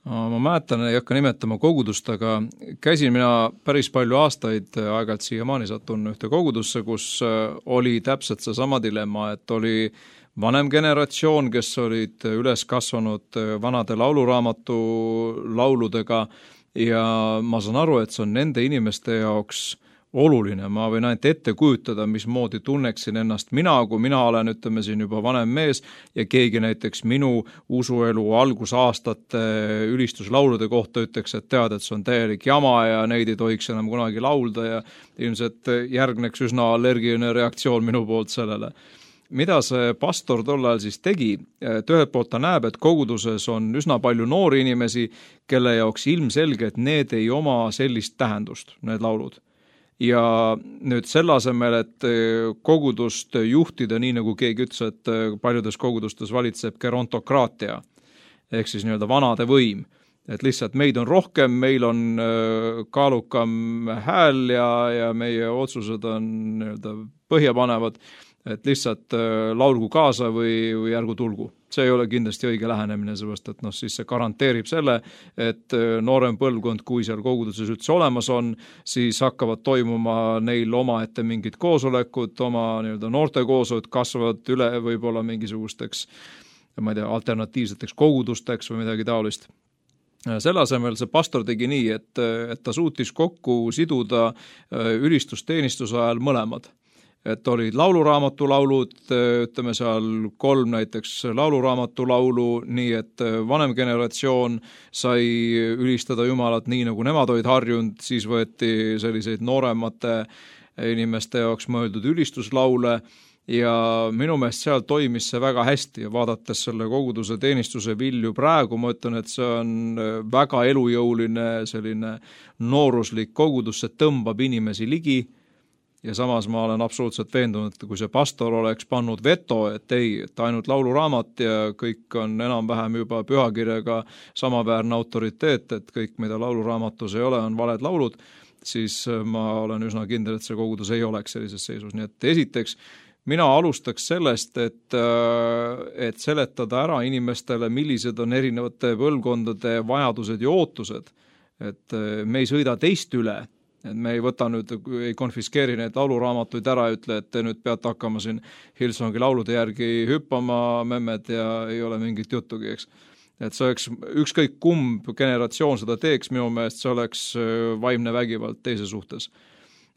Speaker 3: Ma mäletan, ei hakka nimetama kogudust, aga käisin mina päris palju aastaid, aeg-ajalt siiamaani satun ühte kogudusse, kus oli täpselt seesama dilemma, et oli vanem generatsioon, kes olid üles kasvanud vanade lauluraamatu lauludega ja ma saan aru, et see on nende inimeste jaoks oluline. Ma võin ainult ette kujutada, mismoodi tunneksin ennast mina, kui mina olen, ütleme siin juba vanem mees ja keegi näiteks minu usuelu algusaastate ülistuslaulude kohta ütleks, et tead, et see on täielik jama ja neid ei tohiks enam kunagi laulda ja ilmselt järgneks üsna allergiline reaktsioon minu poolt sellele. Mida see pastor tol ajal siis tegi? Et ühelt poolt ta näeb, et koguduses on üsna palju noori inimesi, kelle jaoks ilmselge, et need ei oma sellist tähendust, need laulud. Ja nüüd selle asemel, et kogudust juhtida, nii nagu keegi ütles, et paljudes kogudustes valitseb gerontokraatia, ehk siis nii-öelda vanade võim. Et lihtsalt meid on rohkem, meil on kaalukam hääl ja meie otsused on nii-öelda põhjapanevad, et lihtsalt laulgu kaasa või ärgu tulgu. See ei ole kindlasti õige lähenemine, sellepärast, et siis see garanteerib selle, et noorem põlvkond, kui seal koguduses üldse olemas on, siis hakkavad toimuma neil omaette mingid koosolekud, oma nii-öelda noortekoosolud kasvavad üle võib-olla mingisugusteks, ma ei tea, alternatiivseteks kogudusteks või midagi taolist. Selle asemel see pastor tegi nii, et ta suutis kokku siduda ülistusteenistuse ajal mõlemad. Et olid lauluraamatu laulud, ütleme seal 3 näiteks lauluraamatu laulu, nii et vanem generatsioon sai ülistada Jumalat nii, nagu nemad olid harjunud, siis võeti selliseid nooremate inimeste jaoks mõeldud ülistuslaule ja minu meelest seal toimis see väga hästi ja vaadates selle koguduse teenistuse vilju praegu, ma ütlen, et see on väga elujõuline selline nooruslik kogudus, see tõmbab inimesi ligi. Ja samas ma olen absoluutselt veendunud, et kui see pastor oleks pannud veto, et ei, et ainult lauluraamat ja kõik on enam-vähem juba pühakirjaga samaväärne autoriteet, et kõik, mida lauluraamatus ei ole, on valed laulud, siis ma olen üsna kindel, et see kogudus ei oleks sellises seisus. Nii et esiteks, mina alustaks sellest, et seletada ära inimestele, millised on erinevate põlvkondade vajadused ja ootused. Et me ei sõida teist üle, et me ei võta nüüd, ei konfiskeeri neid lauluraamatuid ära ja ütle, et te nüüd peate hakkama siin Hillsongi laulude järgi hüppama, memmed ja ei ole mingit juttugi, eks. Et see oleks ükskõik kumb generatsioon seda teeks, minu meelest see oleks vaimne vägivald teise suhtes.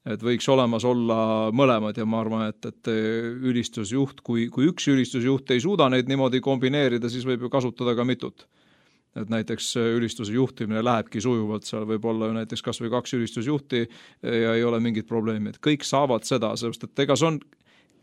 Speaker 3: Et võiks olemas olla mõlemad ja ma arvan, et ülistusjuht, kui üks ülistusjuht ei suuda neid niimoodi kombineerida, siis võib ju kasutada ka mitut. Et näiteks ülistuse juhtimine lähebki sujuvalt, seal võib olla ju näiteks kas või 2 ülistusjuhti ja ei ole mingit probleemi, et kõik saavad seda, sellepärast et ega see on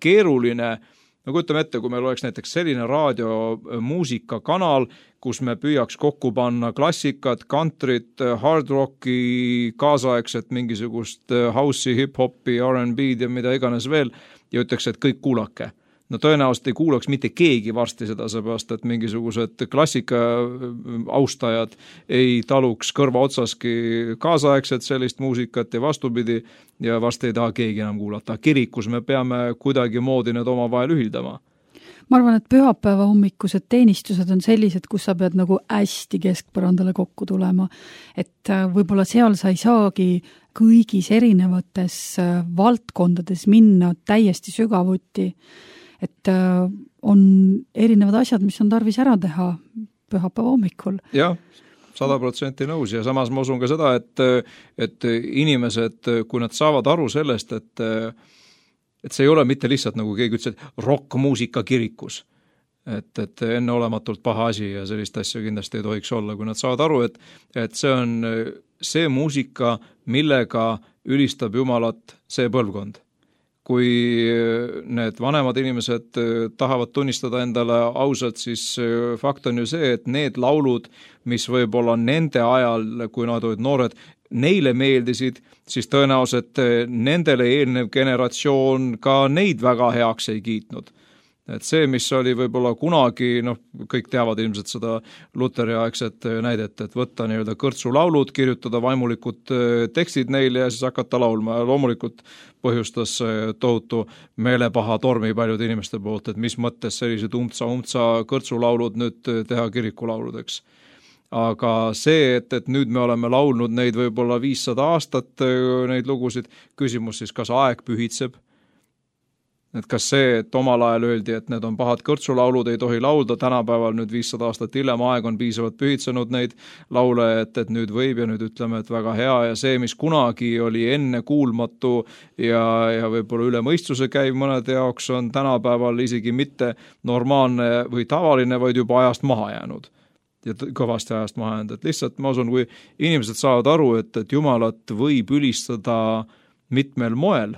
Speaker 3: keeruline, nagu ütleme ette, kui meil oleks näiteks selline raadiomuusikakanal, kus me püüaks kokku panna klassikat, countryt, hard rocki, kaasaegset mingisugust house'i, hip-hopi, R&B'd ja mida iganes veel ja ütleks, et kõik kuulake. no tõenäoliselt ei kuulaks mitte keegi varsti seda, seepärast, et mingisugused klassika austajad ei taluks kõrva otsaski kaasaegset sellist muusikat ja vastupidi, ja varsti ei taha keegi enam kuulata. Kirikus me peame kuidagi moodi need omavahel ühildama.
Speaker 2: Ma arvan, et pühapäeva hommikused teenistused on sellised, kus sa pead nagu hästi keskpõrandale kokku tulema. Et võib-olla seal sa ei saagi kõigis erinevates valdkondades minna täiesti sügavuti. Et on erinevad asjad, mis on tarvis ära teha pühapäeva hommikul.
Speaker 3: Jah, 100% nõus ja samas ma usun ka seda, et inimesed, kui nad saavad aru sellest, et see ei ole mitte lihtsalt, nagu keegi ütles, et rockmuusika kirikus. Et enne olematult paha asi ja sellist asja kindlasti ei tohiks olla, kui nad saavad aru, et see on see muusika, millega ülistab Jumalat see põlvkond. Kui need vanemad inimesed tahavad tunnistada endale ausalt, siis fakt on ju see, et need laulud, mis võib-olla nende ajal, kui nad olid noored, neile meeldisid, siis tõenäoliselt nendele eelnev generatsioon ka neid väga heaks ei kiitnud. Et see, mis oli võib-olla kunagi, kõik teavad ilmselt seda Luteri aegset näidet, et võtta nii-öelda kõrtsulaulud, kirjutada vaimulikud tekstid neile ja siis hakata laulma ja loomulikult põhjustas tohutu meelepaha tormi paljude inimeste poolt, et mis mõttes sellised umbtsa kõrtsulaulud nüüd teha kirikulauludeks. Aga see, et nüüd me oleme laulnud neid võib-olla 500 aastat, neid lugusid, küsimus siis, kas aeg pühitseb? Et kas see, et omal ajal öeldi, et need on pahad kõrtsulaulud, ei tohi laulda, tänapäeval nüüd 500 aastat hiljem aeg on piisavalt pühitsenud neid laule, et nüüd võib ja nüüd ütleme, et väga hea ja see, mis kunagi oli enne kuulmatu ja võib-olla üle mõistuse käiv mõnede jaoks, on tänapäeval isegi mitte normaalne või tavaline, vaid juba ajast maha jäänud. Ja kõvasti ajast maha jäänud, et lihtsalt ma usun, kui inimesed saavad aru, et Jumalat võib ülistada mitmel moel.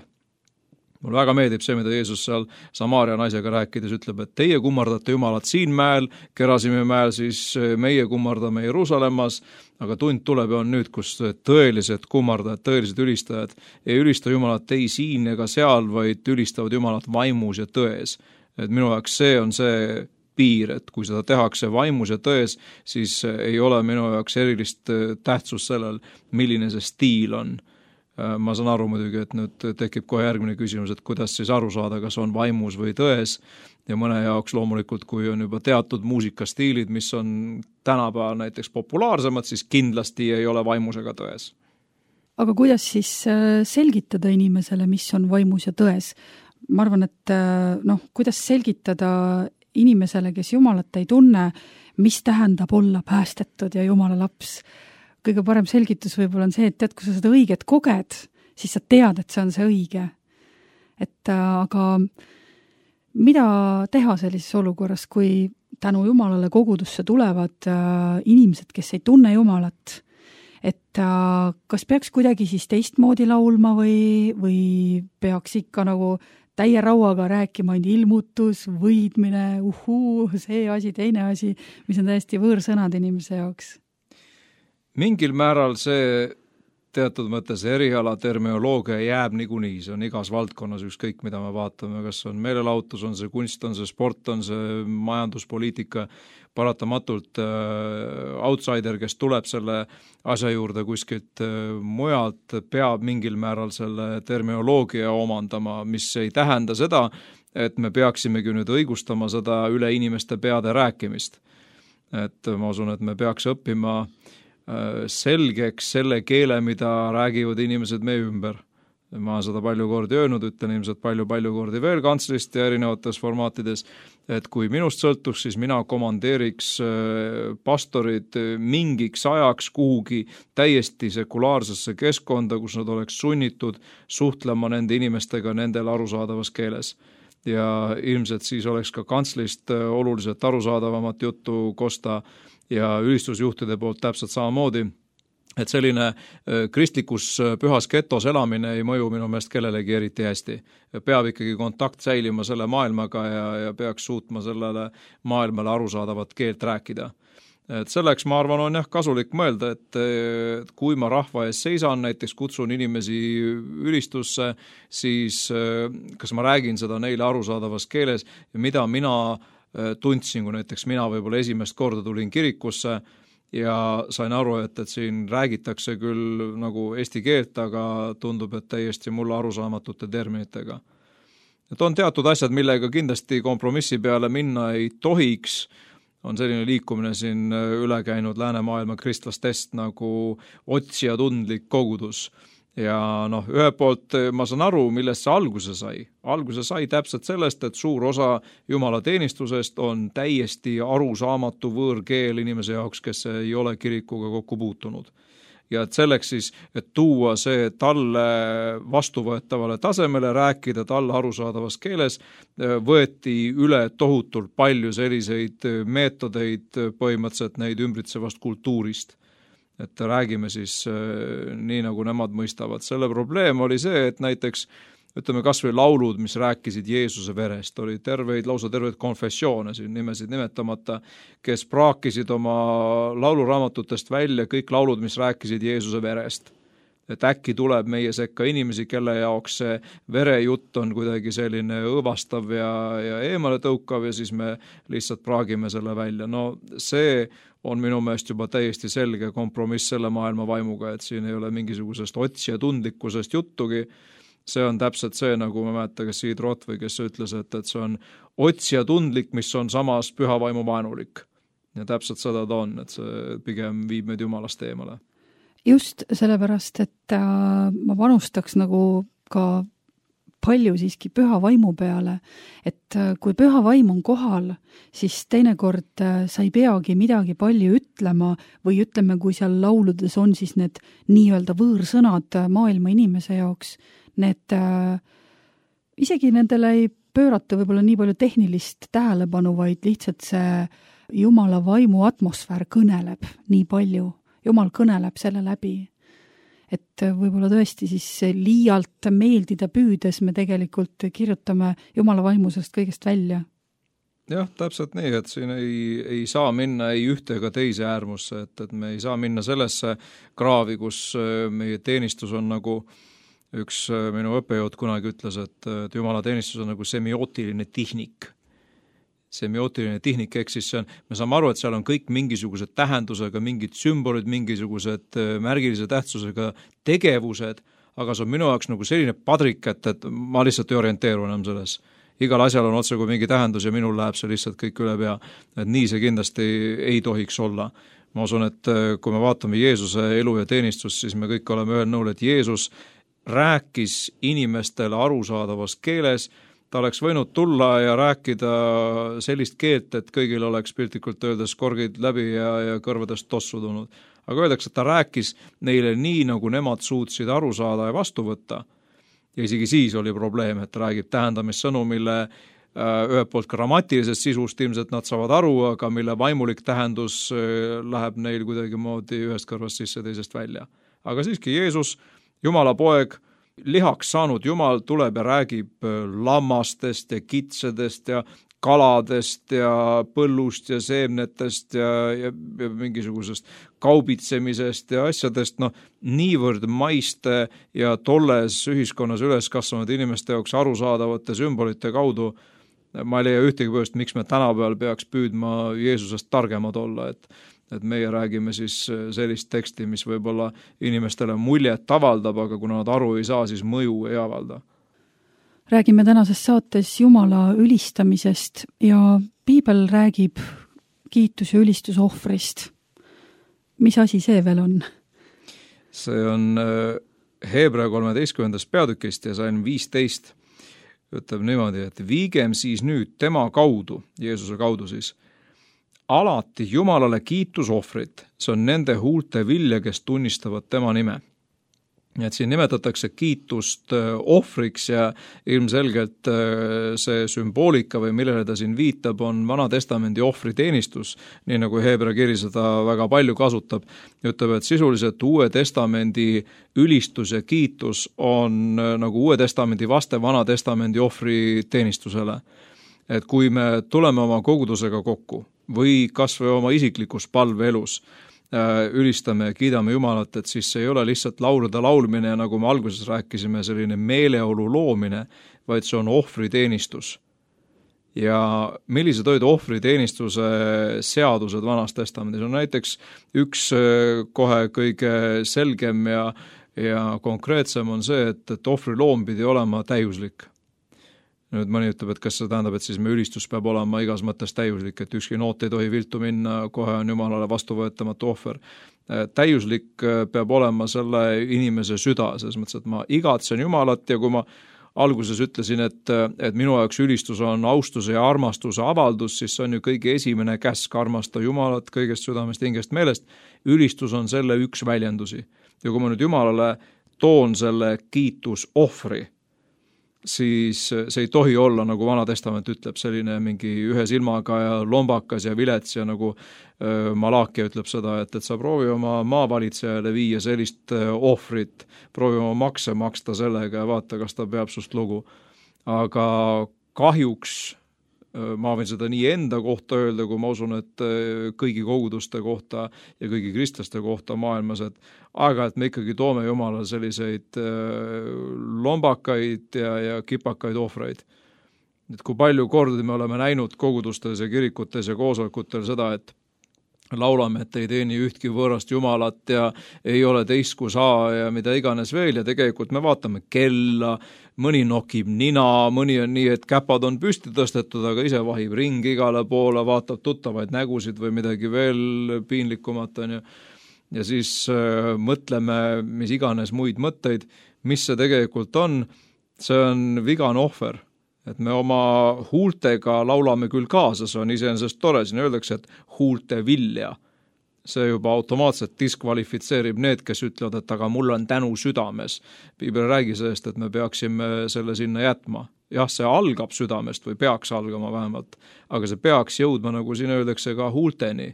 Speaker 3: Mul väga meeldib see, mida Jeesus seal Samaaria naisega rääkides ütleb, et teie kummardate Jumalat siin mäel, Gerasimi mäel, siis meie kummardame Jeruusalemmas, aga tund tuleb ja on nüüd, kus tõelised kummardajad, tõelised ülistajad ei ülista Jumalat ei siin ega seal, vaid ülistavad Jumalat vaimus ja tões. Et minu jaoks see on see piir, et kui seda tehakse vaimus ja tões, siis ei ole minu jaoks erilist tähtsust sellel, milline see stiil on. Ma saan aru muidugi, et nüüd tekib kohe järgmine küsimus, et kuidas siis aru saada, kas on vaimus või tões ja mõne jaoks loomulikult, kui on juba teatud muusikastiilid, mis on tänapäeval näiteks populaarsemad, siis kindlasti ei ole vaimus ega tões.
Speaker 2: Aga kuidas siis selgitada inimesele, mis on vaimus ja tões? Ma arvan, et kuidas selgitada inimesele, kes Jumalat ei tunne, mis tähendab olla päästetud ja Jumala laps. Kõige parem selgitus võib-olla on see, et kui sa seda õiget koged, siis sa tead, et see on see õige. Aga mida teha sellises olukorras, kui tänu Jumalale kogudusse tulevad inimesed, kes ei tunne Jumalat, et kas peaks kuidagi siis teistmoodi laulma või peaks ikka nagu täie rauaga rääkima ilmutus, võidmine, see asi, teine asi, mis on täiesti võõrsõnad inimese jaoks.
Speaker 3: Mingil määral see teatud mõttes eriala termioloogia jääb niikuinii, see on igas valdkonnas ükskõik, mida me vaatame, kas on meelelahutus, on see kunst, on see sport, on see majanduspoliitika, paratamatult outsider, kes tuleb selle asja juurde kuskilt mujalt, peab mingil määral selle termioloogia omandama, mis ei tähenda seda, et me peaksimegi nüüd õigustama seda üle inimeste peade rääkimist. Et ma usun, et me peaks õppima selgeks selle keele, mida räägivad inimesed meie ümber. Ma olen seda palju kordi öelnud, ütlen ilmselt palju kordi veel kantslist ja erinevates formaatides, et kui minust sõltuks, siis mina komandeeriks pastorid mingiks ajaks kuhugi täiesti sekulaarsesse keskkonda, kus nad oleks sunnitud suhtlema nende inimestega nendel arusaadavas keeles. Ja ilmselt siis oleks ka kantslist oluliselt arusaadavamat juttu kosta ja ülistusjuhtide poolt täpselt samamoodi, et selline kristlikus pühas getos elamine ei mõju minu meelest kellelegi eriti hästi. Peab ikkagi kontakt säilima selle maailmaga ja peaks suutma sellele maailmale arusaadavat keelt rääkida. Et selleks, ma arvan, on kasulik mõelda, et kui ma rahva ees seisan, näiteks kutsun inimesi ülistusse, siis kas ma räägin seda neile arusaadavas keeles ja mida mina tundsin, kui näiteks mina võib-olla esimest korda tulin kirikusse ja sain aru, et siin räägitakse küll nagu eesti keelt, aga tundub, et täiesti mulle arusaamatute terminitega. Et on teatud asjad, millega kindlasti kompromissi peale minna ei tohiks, on selline liikumine siin üle käinud läänemaailma kristlastest nagu otsijatundlik kogudus. Ja ühe poolt ma saan aru, millest see alguse sai. Alguse sai täpselt sellest, et suur osa Jumala teenistusest on täiesti arusaamatu võõrkeel inimese jaoks, kes ei ole kirikuga kokku puutunud. Ja et selleks siis, et tuua see talle vastuvõetavale tasemele, rääkida talle arusaadavas keeles, võeti üle tohutult palju selliseid meetodeid põhimõtteliselt neid ümbritsevast kultuurist. Et räägime siis nii, nagu nemad mõistavad. Selle probleem oli see, et näiteks ütleme kas või laulud, mis rääkisid Jeesuse verest, oli lausa terveid konfessioone, siin nimesid nimetamata, kes praakisid oma lauluraamatutest välja kõik laulud, mis rääkisid Jeesuse verest. Et äkki tuleb meie sekka inimesi, kelle jaoks see verejutt on kuidagi selline õõvastav ja eemale tõukav ja siis me lihtsalt praagime selle välja. See on minu meelest juba täiesti selge kompromiss selle maailma vaimuga, et siin ei ole mingisugusest otsija tundlikkusest juttugi. See on täpselt see, nagu ma mäletan, kes Siid Rott või kes ütles, et see on otsija tundlik, mis on samas püha vaimu vaenulik. Ja täpselt seda ta on, et see pigem viib meid Jumalast eemale.
Speaker 2: Just sellepärast, et ma panustaks nagu ka palju siiski püha vaimu peale, et kui püha vaim on kohal, siis teinekord sa ei peagi midagi palju ütlema või ütleme, kui seal lauludes on siis need nii-öelda võõrsõnad maailma inimese jaoks, need isegi nendele ei pöörata võib-olla nii palju tehnilist tähelepanu, vaid lihtsalt see Jumala vaimu atmosfäär kõneleb nii palju. Jumal kõneleb selle läbi. Et võib-olla tõesti siis liialt meeldida püüdes me tegelikult kirjutame Jumala vaimusest kõigest välja.
Speaker 3: Jah, täpselt nii, et siin ei saa minna ei ühte ega teise äärmusse, et me ei saa minna sellesse kraavi, kus meie teenistus on nagu üks minu õppejõud kunagi ütles, et Jumala teenistus on nagu semiootiline tehnik. Semiootiline tehnik, ehk siis me saame aru, et seal on kõik mingisugused tähendusega, mingid sümbolid, mingisugused märgilise tähtsusega tegevused, aga see on minu jaoks nagu selline padrik, et ma lihtsalt ei orienteeru enam selles. Igal asjal on otse kui mingi tähendus ja minul läheb see lihtsalt kõik üle pea. Et nii see kindlasti ei tohiks olla. Ma usun, et kui me vaatame Jeesuse elu ja teenistust, siis me kõik oleme ühel nõul, et Jeesus rääkis inimestele arusaadavas keeles. Ta oleks võinud tulla ja rääkida sellist keelt, et kõigil oleks piltlikult öeldes korgid läbi ja kõrvadest tossu tulnud. Aga öeldakse, et ta rääkis neile nii, nagu nemad suutsid aru saada ja vastu võtta. Ja isegi siis oli probleem, et ta räägib tähendamissõnu, mille ühelt poolt grammatilisest sisust ilmselt nad saavad aru, aga mille vaimulik tähendus läheb neil kuidagi moodi ühest kõrvast sisse teisest välja. Aga siiski Jeesus, Jumala poeg, lihaks saanud Jumal tuleb ja räägib lammastest ja kitsedest ja kaladest ja põllust ja seemnetest ja mingisugusest kaubitsemisest ja asjadest, niivõrd maiste ja tolles ühiskonnas üles kasvanud inimeste jaoks arusaadavate sümbolite kaudu. Ma ei leia ühtegi põhjust, miks me tänapäeval peaks püüdma Jeesusest targemad olla, et meie räägime siis sellist teksti, mis võib-olla inimestele muljet avaldab, aga kuna nad aru ei saa, siis mõju ei avalda.
Speaker 2: Räägime tänases saates Jumala ülistamisest ja Piibel räägib kiitus- ja ülistusohvrist. Mis asi see veel on?
Speaker 3: See on Heebrea 13. peatükist ja sain 15. Ütleb niimoodi, et viigem siis nüüd tema kaudu, Jeesuse kaudu siis, alati Jumalale kiitusohvrit, see on nende huulte vilja, kes tunnistavad tema nime. Et siin nimetatakse kiitust ohvriks ja ilmselgelt see sümboolika või millele ta siin viitab on Vana-testamendi ohvriteenistus, nii nagu Heebrea kiri seda väga palju kasutab. Ütleb, et sisuliselt Uue testamendi ülistus ja kiitus on nagu Uue testamendi vaste Vana-testamendi ohvriteenistusele. Et kui me tuleme oma kogudusega kokku, või kas või oma isiklikus palveelus ülistame ja kiidame Jumalat, et siis see ei ole lihtsalt laulude laulmine ja nagu me alguses rääkisime, selline meeleolu loomine, vaid see on ohvriteenistus. Ja millised olid ohvriteenistuse seadused Vanas Testamendis? On näiteks üks kohe kõige selgem ja konkreetsem on see, et ohvriloom pidi olema täiuslik. Nüüd mõni ütleb, et kas see tähendab, et siis me ülistus peab olema igas mõttes täiuslik, et ükski noot ei tohi viltu minna, kohe on Jumalale vastuvõetamatu ohver. Täiuslik peab olema selle inimese süda, selles mõttes, et ma igatsen Jumalat ja kui ma alguses ütlesin, et minu jaoks ülistus on austuse ja armastuse avaldus, siis see on ju kõige esimene käsk armasta Jumalat kõigest südamest, hingest, meelest. Ülistus on selle üks väljendusi. Ja kui ma nüüd Jumalale toon selle kiitusohvri, siis see ei tohi olla, nagu Vana Testament ütleb, selline mingi ühe silmaga ja lombakas ja vilets ja nagu Malaakia ütleb seda, et sa proovi oma maavalitsejale viia sellist ohvrit, proovi oma makse maksta sellega ja vaata, kas ta peab sust lugu. Aga kahjuks ma võin seda nii enda kohta öelda, kui ma usun, et kõigi koguduste kohta ja kõigi kristlaste kohta maailmas, et aeg-ajalt me ikkagi toome Jumalale selliseid lombakaid ja kipakaid ohvreid. Et kui palju kordi me oleme näinud kogudustes ja kirikutes ja koosolekutel seda, et laulame, et ei teeni ühtki võõrast Jumalat ja ei ole teist kui saa ja mida iganes veel ja tegelikult me vaatame kella, mõni nokib nina, mõni on nii, et käpad on püsti tõstetud, aga ise vahib ring igale poole, vaatab tuttavaid nägusid või midagi veel piinlikumat on ja siis mõtleme mis iganes muid mõtteid, mis see tegelikult on, see on vigane ohver. Et me oma huultega laulame küll kaasa, see on iseenesest tore, siin öeldakse, et huulte vilja. See juba automaatselt diskvalifitseerib need, kes ütlevad, et aga mul on tänu südames. Piibel räägi sellest, et me peaksime selle sinna jätma. Jah, see algab südamest või peaks algama vähemalt, aga see peaks jõudma, nagu siin öeldakse, ka huulteni.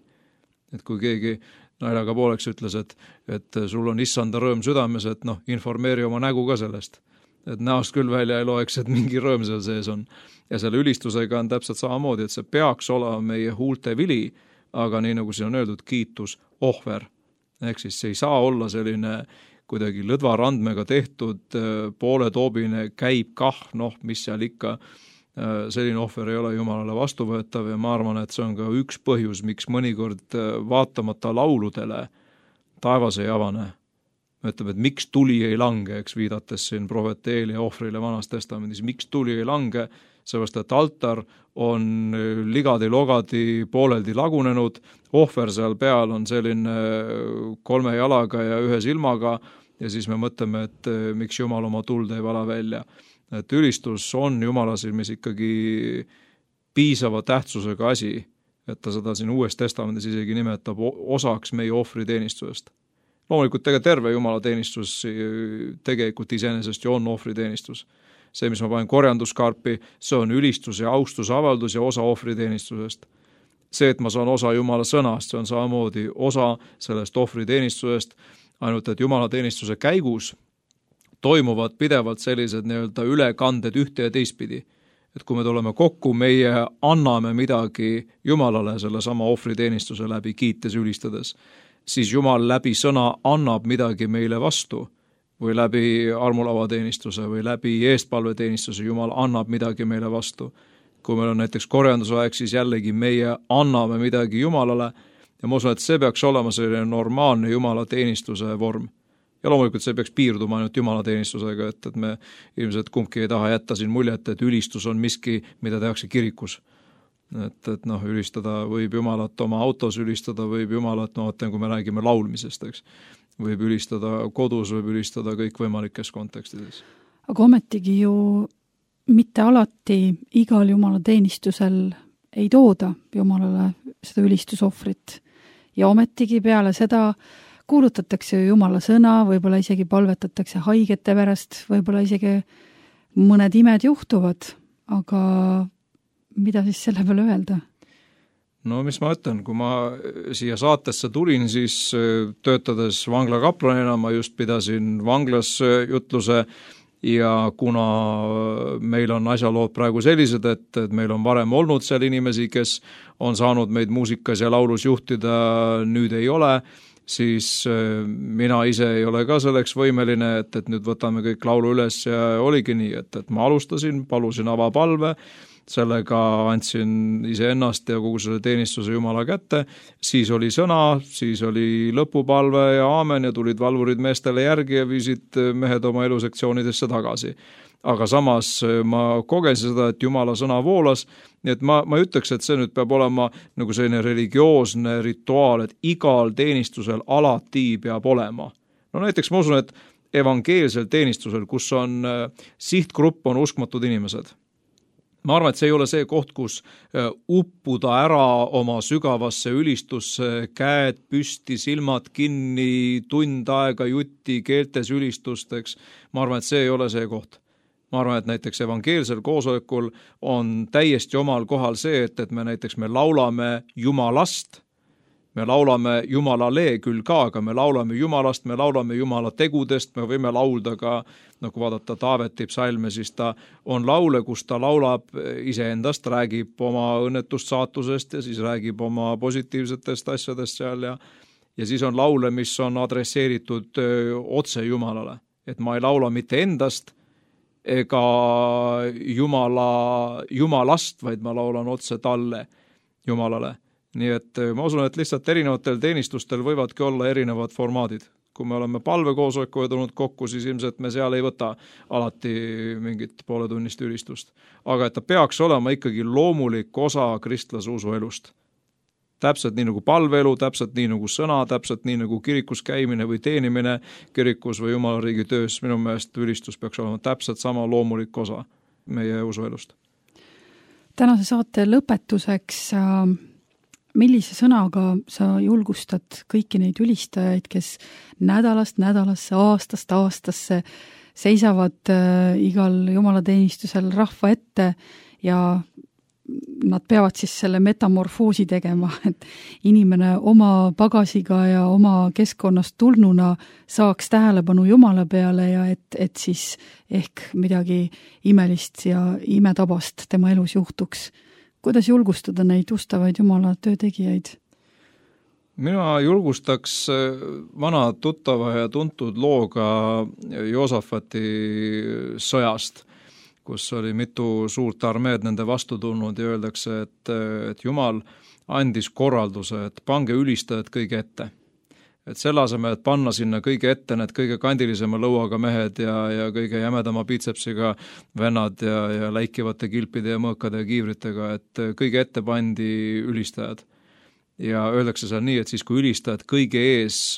Speaker 3: Et kui keegi naljaga pooleks ütles, et sul on issanda rõõm südames, et informeeri oma nägu ka sellest. Et näost küll välja ei loeks, et mingi rõõm seal sees on. Ja selle ülistusega on täpselt samamoodi, et see peaks olema meie huulte vili, aga nii nagu siin on öeldud, kiitus ohver. Ehk siis see ei saa olla selline kuidagi lõdva randmega tehtud, pooletoobine käib kah, mis seal ikka, selline ohver ei ole Jumalale vastuvõetav ja ma arvan, et see on ka üks põhjus, miks mõnikord vaatamata lauludele taevas ei avane. Ütleb, et miks tuli ei lange, eks viidates siin prohvet Eelia ohvrile Vanas Testamendis, miks tuli ei lange, seepärast, et altar on ligadi-logadi pooleldi lagunenud, ohver seal peal on selline 3 jalaga ja 1 silmaga ja siis me mõtleme, et miks Jumal oma tuld ei vala välja. Et ülistus on Jumala silmis ikkagi piisava tähtsusega asi, et ta seda siin Uues Testamendis isegi nimetab osaks meie ohvriteenistusest. Loomulikult terve Jumala teenistus tegelikult iseenesest ju on ohvriteenistus. See, mis ma panen korjanduskarpi, see on ülistus ja austusavaldus ja osa ohvriteenistusest. See, et ma saan osa Jumala sõnast, see on samamoodi osa sellest ohvriteenistusest, ainult et Jumala teenistuse käigus toimuvad pidevalt sellised nii-öelda ülekanded ühte ja teistpidi. Et kui me tuleme kokku, meie anname midagi Jumalale selle sama ohvriteenistuse läbi kiites ülistades, siis Jumal läbi sõna annab midagi meile vastu või läbi armulavateenistuse või läbi eestpalveteenistuse Jumal annab midagi meile vastu. Kui meil on näiteks korjandusaeg, siis jällegi meie anname midagi Jumalale ja ma usun, et see peaks olema selline normaalne Jumala teenistuse vorm. Ja loomulikult see peaks piirduma ainult Jumala teenistusega, et me ilmselt kumbki ei taha jätta siin muljet, et ülistus on miski, mida tehakse kirikus. Et ülistada võib Jumalat oma autos, ülistada võib Jumalat, kui me räägime laulmisest, eks. Võib ülistada kodus, võib ülistada kõik võimalikes kontekstides.
Speaker 2: Aga ometigi ju mitte alati igal Jumala teenistusel ei tooda Jumalale seda ülistusohvrit. Ja ometigi peale seda kuulutatakse Jumala sõna, võib-olla isegi palvetatakse haigete pärast, võib-olla isegi mõned imed juhtuvad, aga mida siis selle peale öelda?
Speaker 3: No mis ma ütlen, kui ma siia saatesse tulin, siis töötades vanglakaplanina ma just pidasin vanglas jutluse ja kuna meil on asjalood praegu sellised, et meil on varem olnud seal inimesi, kes on saanud meid muusikas ja laulus juhtida, nüüd ei ole, siis mina ise ei ole ka selleks võimeline, et nüüd võtame kõik laulu üles ja oligi nii, et ma alustasin, palusin avapalve, sellega andsin iseennast ja kogu selle teenistuse Jumala kätte, siis oli sõna, siis oli lõpupalve ja aamen ja tulid valvurid meestele järgi ja viisid mehed oma elusektsioonidesse tagasi. Aga samas ma kogesin seda, et Jumala sõna voolas, nii et ma ei ütleks, et see nüüd peab olema nagu selline religioosne rituaal, et igal teenistusel alati peab olema. No näiteks ma usun, et evangeelsel teenistusel, kus on sihtgrupp on uskmatud inimesed, ma arvan, et see ei ole see koht, kus uppuda ära oma sügavasse ülistusse, käed püsti, silmad kinni, tund aega jutti, keeltes ülistusteks. Ma arvan, et see ei ole see koht. Ma arvan, et näiteks evangeelsel koosolekul on täiesti omal kohal see, et me laulame Jumalast, me laulame Jumalale küll ka, aga me laulame Jumalast, me laulame Jumala tegudest, me võime laulda ka, kui vaadata Taaveti psalme, siis ta on laule, kus ta laulab iseendast, räägib oma õnnetust saatusest ja siis räägib oma positiivsetest asjadest seal ja siis on laule, mis on adresseeritud otse Jumalale. Et ma ei laula mitte endast ega Jumalast, vaid ma laulan otse talle, Jumalale. Nii et ma usun, et lihtsalt erinevatel teenistustel võivadki olla erinevad formaadid. Kui me oleme palvekoosolekuga tulnud kokku, siis ilmselt me seal ei võta alati mingit pooletunnist ülistust. Aga et ta peaks olema ikkagi loomulik osa kristlase usuelust. Täpselt nii nagu palveelu, täpselt nii nagu sõna, täpselt nii nagu kirikus käimine või teenimine kirikus või Jumala riigi töös. Minu meelest ülistus peaks olema täpselt sama loomulik osa meie usuelust.
Speaker 2: Tänase saate lõpetuseks millise sõnaga sa julgustad kõiki neid ülistajaid, kes nädalast nädalasse, aastast aastasse seisavad igal jumalateenistusel rahva ette ja nad peavad siis selle metamorfoosi tegema, et inimene oma pagasiga ja oma keskkonnast tulnuna saaks tähelepanu Jumala peale ja et siis ehk midagi imelist ja imetabast tema elus juhtuks. Kuidas julgustada neid ustavaid Jumala töötegijaid?
Speaker 3: Mina julgustaks vana tuttava ja tuntud looga Joosafati sõjast, kus oli mitu suurt armeed nende vastu tulnud ja öeldakse, et Jumal andis korralduse, et pange ülistajad kõige ette. Et selle asemel, et panna sinna kõige ette need kõige kandilisema lõuaga mehed ja kõige jämedama biitsepsiga vennad ja läikivate kilpide ja mõõkade ja kiivritega, et kõige ette pandi ülistajad. Ja öeldakse seal nii, et siis kui ülistajad kõige ees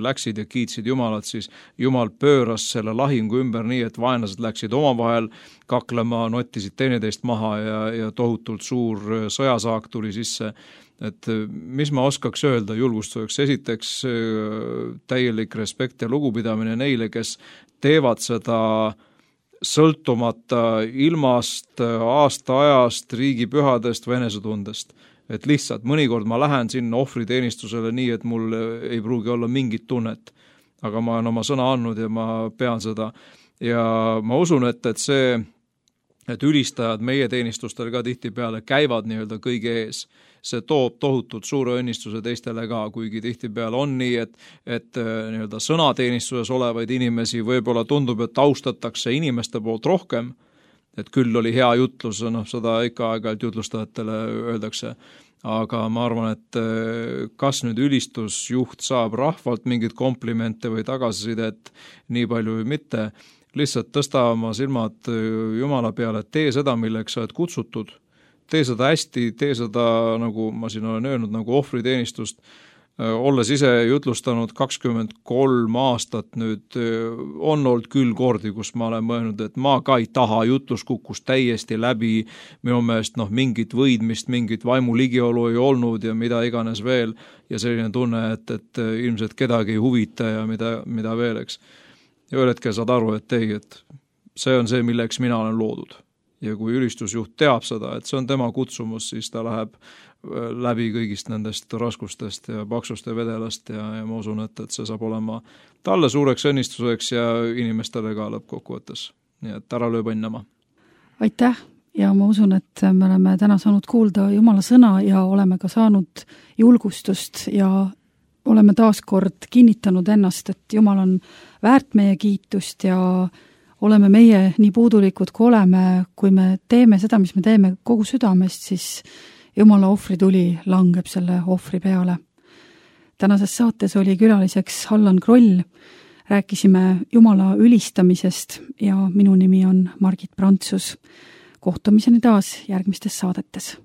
Speaker 3: läksid ja kiitsid Jumalat, siis Jumal pööras selle lahingu ümber nii, et vaenlased läksid omavahel kaklema, nottisid teineteist maha ja tohutult suur sõjasaak tuli sisse. Et mis ma oskaks öelda julgustuseks? Esiteks täielik respekt ja lugupidamine neile, kes teevad seda sõltumata ilmast, aasta-ajast, riigipühadest, venesetundest. Et lihtsalt mõnikord ma lähen sinna ohvriteenistusele nii, et mul ei pruugi olla mingit tunnet. Aga ma olen oma sõna andnud ja ma pean seda. Ja ma usun, et ülistajad meie teenistustel ka tihtipeale käivad nii-öelda kõige ees. See toob tohutult suure õnnistuse teistele ka, kuigi tihtipeale on nii, et nii-öelda sõnateenistuses olevaid inimesi võib-olla tundub, et austatakse inimeste poolt rohkem, et küll oli hea jutlus, seda ikka aeg-ajalt jutlustajatele öeldakse, aga ma arvan, et kas nüüd ülistusjuht saab rahvalt mingit komplimente või tagasisidet nii palju või mitte, lihtsalt tõsta oma silmad Jumala peale, et tee seda, milleks sa oled kutsutud, tee seda hästi, tee seda, nagu ma siin olen öelnud, nagu ohvriteenistust, olles ise jutlustanud 23 aastat nüüd, on olnud küll kordi, kus ma olen mõelnud, et ma ka ei taha, jutlus kukkus täiesti läbi, minu meelest mingit võidmist, mingit vaimu ligiolu ei olnud ja mida iganes veel, ja selline tunne, et ilmselt kedagi ei huvita ja mida veel, eks. Ja ühel hetkel saad aru, et see on see, milleks mina olen loodud. Ja kui ülistusjuht teab seda, et see on tema kutsumus, siis ta läheb läbi kõigist nendest raskustest ja paksust ja vedelast ja ma usun, et see saab olema talle suureks õnnistuseks ja inimestele ka lõppkokkuvõttes. nii et ära löö põnnama.
Speaker 2: Aitäh ja ma usun, et me oleme täna saanud kuulda Jumala sõna ja oleme ka saanud julgustust ja oleme taas kord kinnitanud ennast, et Jumal on väärt meie kiitust ja oleme meie nii puudulikud, kui oleme, kui me teeme seda, mis me teeme kogu südamest, siis Jumala ohvrituli langeb selle ohvri peale. Tänases saates oli külaliseks Allan Kroll, rääkisime Jumala ülistamisest ja minu nimi on Margit Prantsus. Kohtumiseni taas järgmistes saadetes.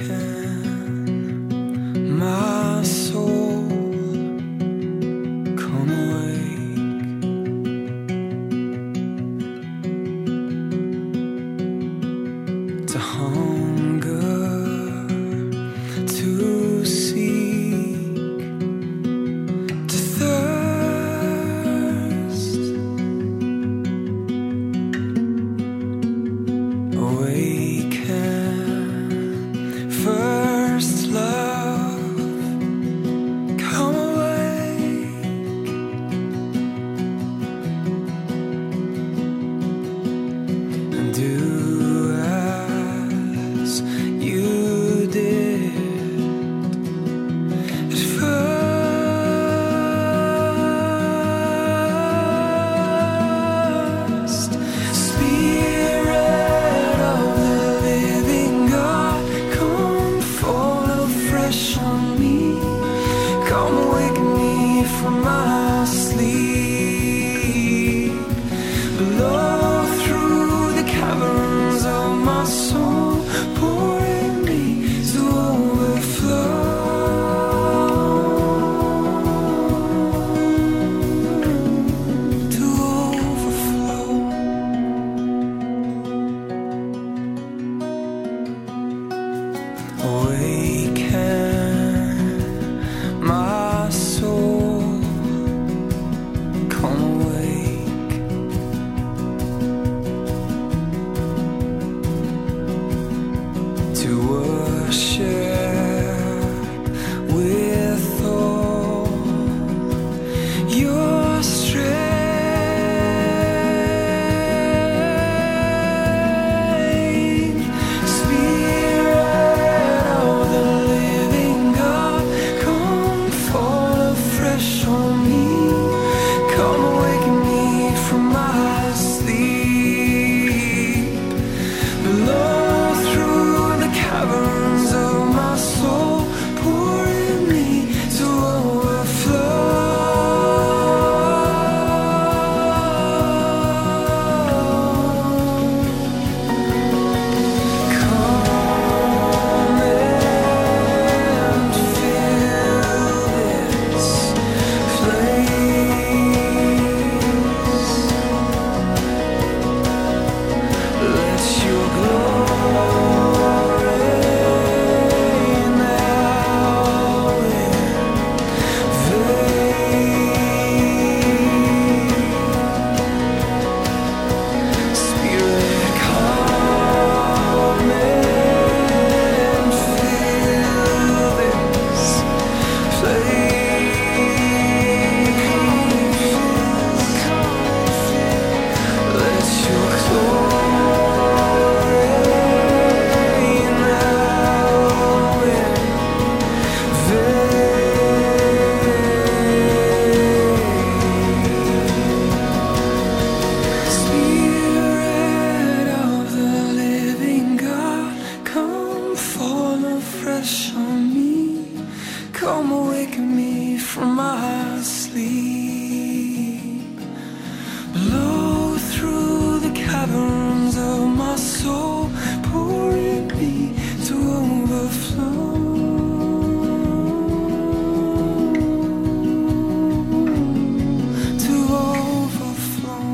Speaker 4: Awaken my soul, come awake to hunger, to seek, to thirst. Awaken first love, come awake and do as you did at first. Spirit of the living God, come fall afresh on me. Come wake me from my sleep. Blow through the caverns of my soul, pouring me to overflow. To overflow. Awaken my soul, come awake to worship with all your strength. Spirit of the living God, come fall afresh on me. Come awaken me from my sleep. Blow through the caverns of my soul, pouring me to overflow. Come and fill this place. Let your glory now invade. Spirit, come and fill this place. Let your glory now invade. Spirit of the living God, come fall afresh on me. Come awaken me from my sleep. Blow through the caverns of my soul, pouring me to overflow. To overflow.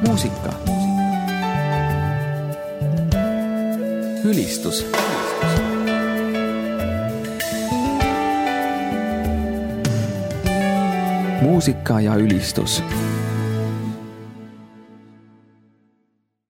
Speaker 1: muusika, ülistus muusika ja ülistus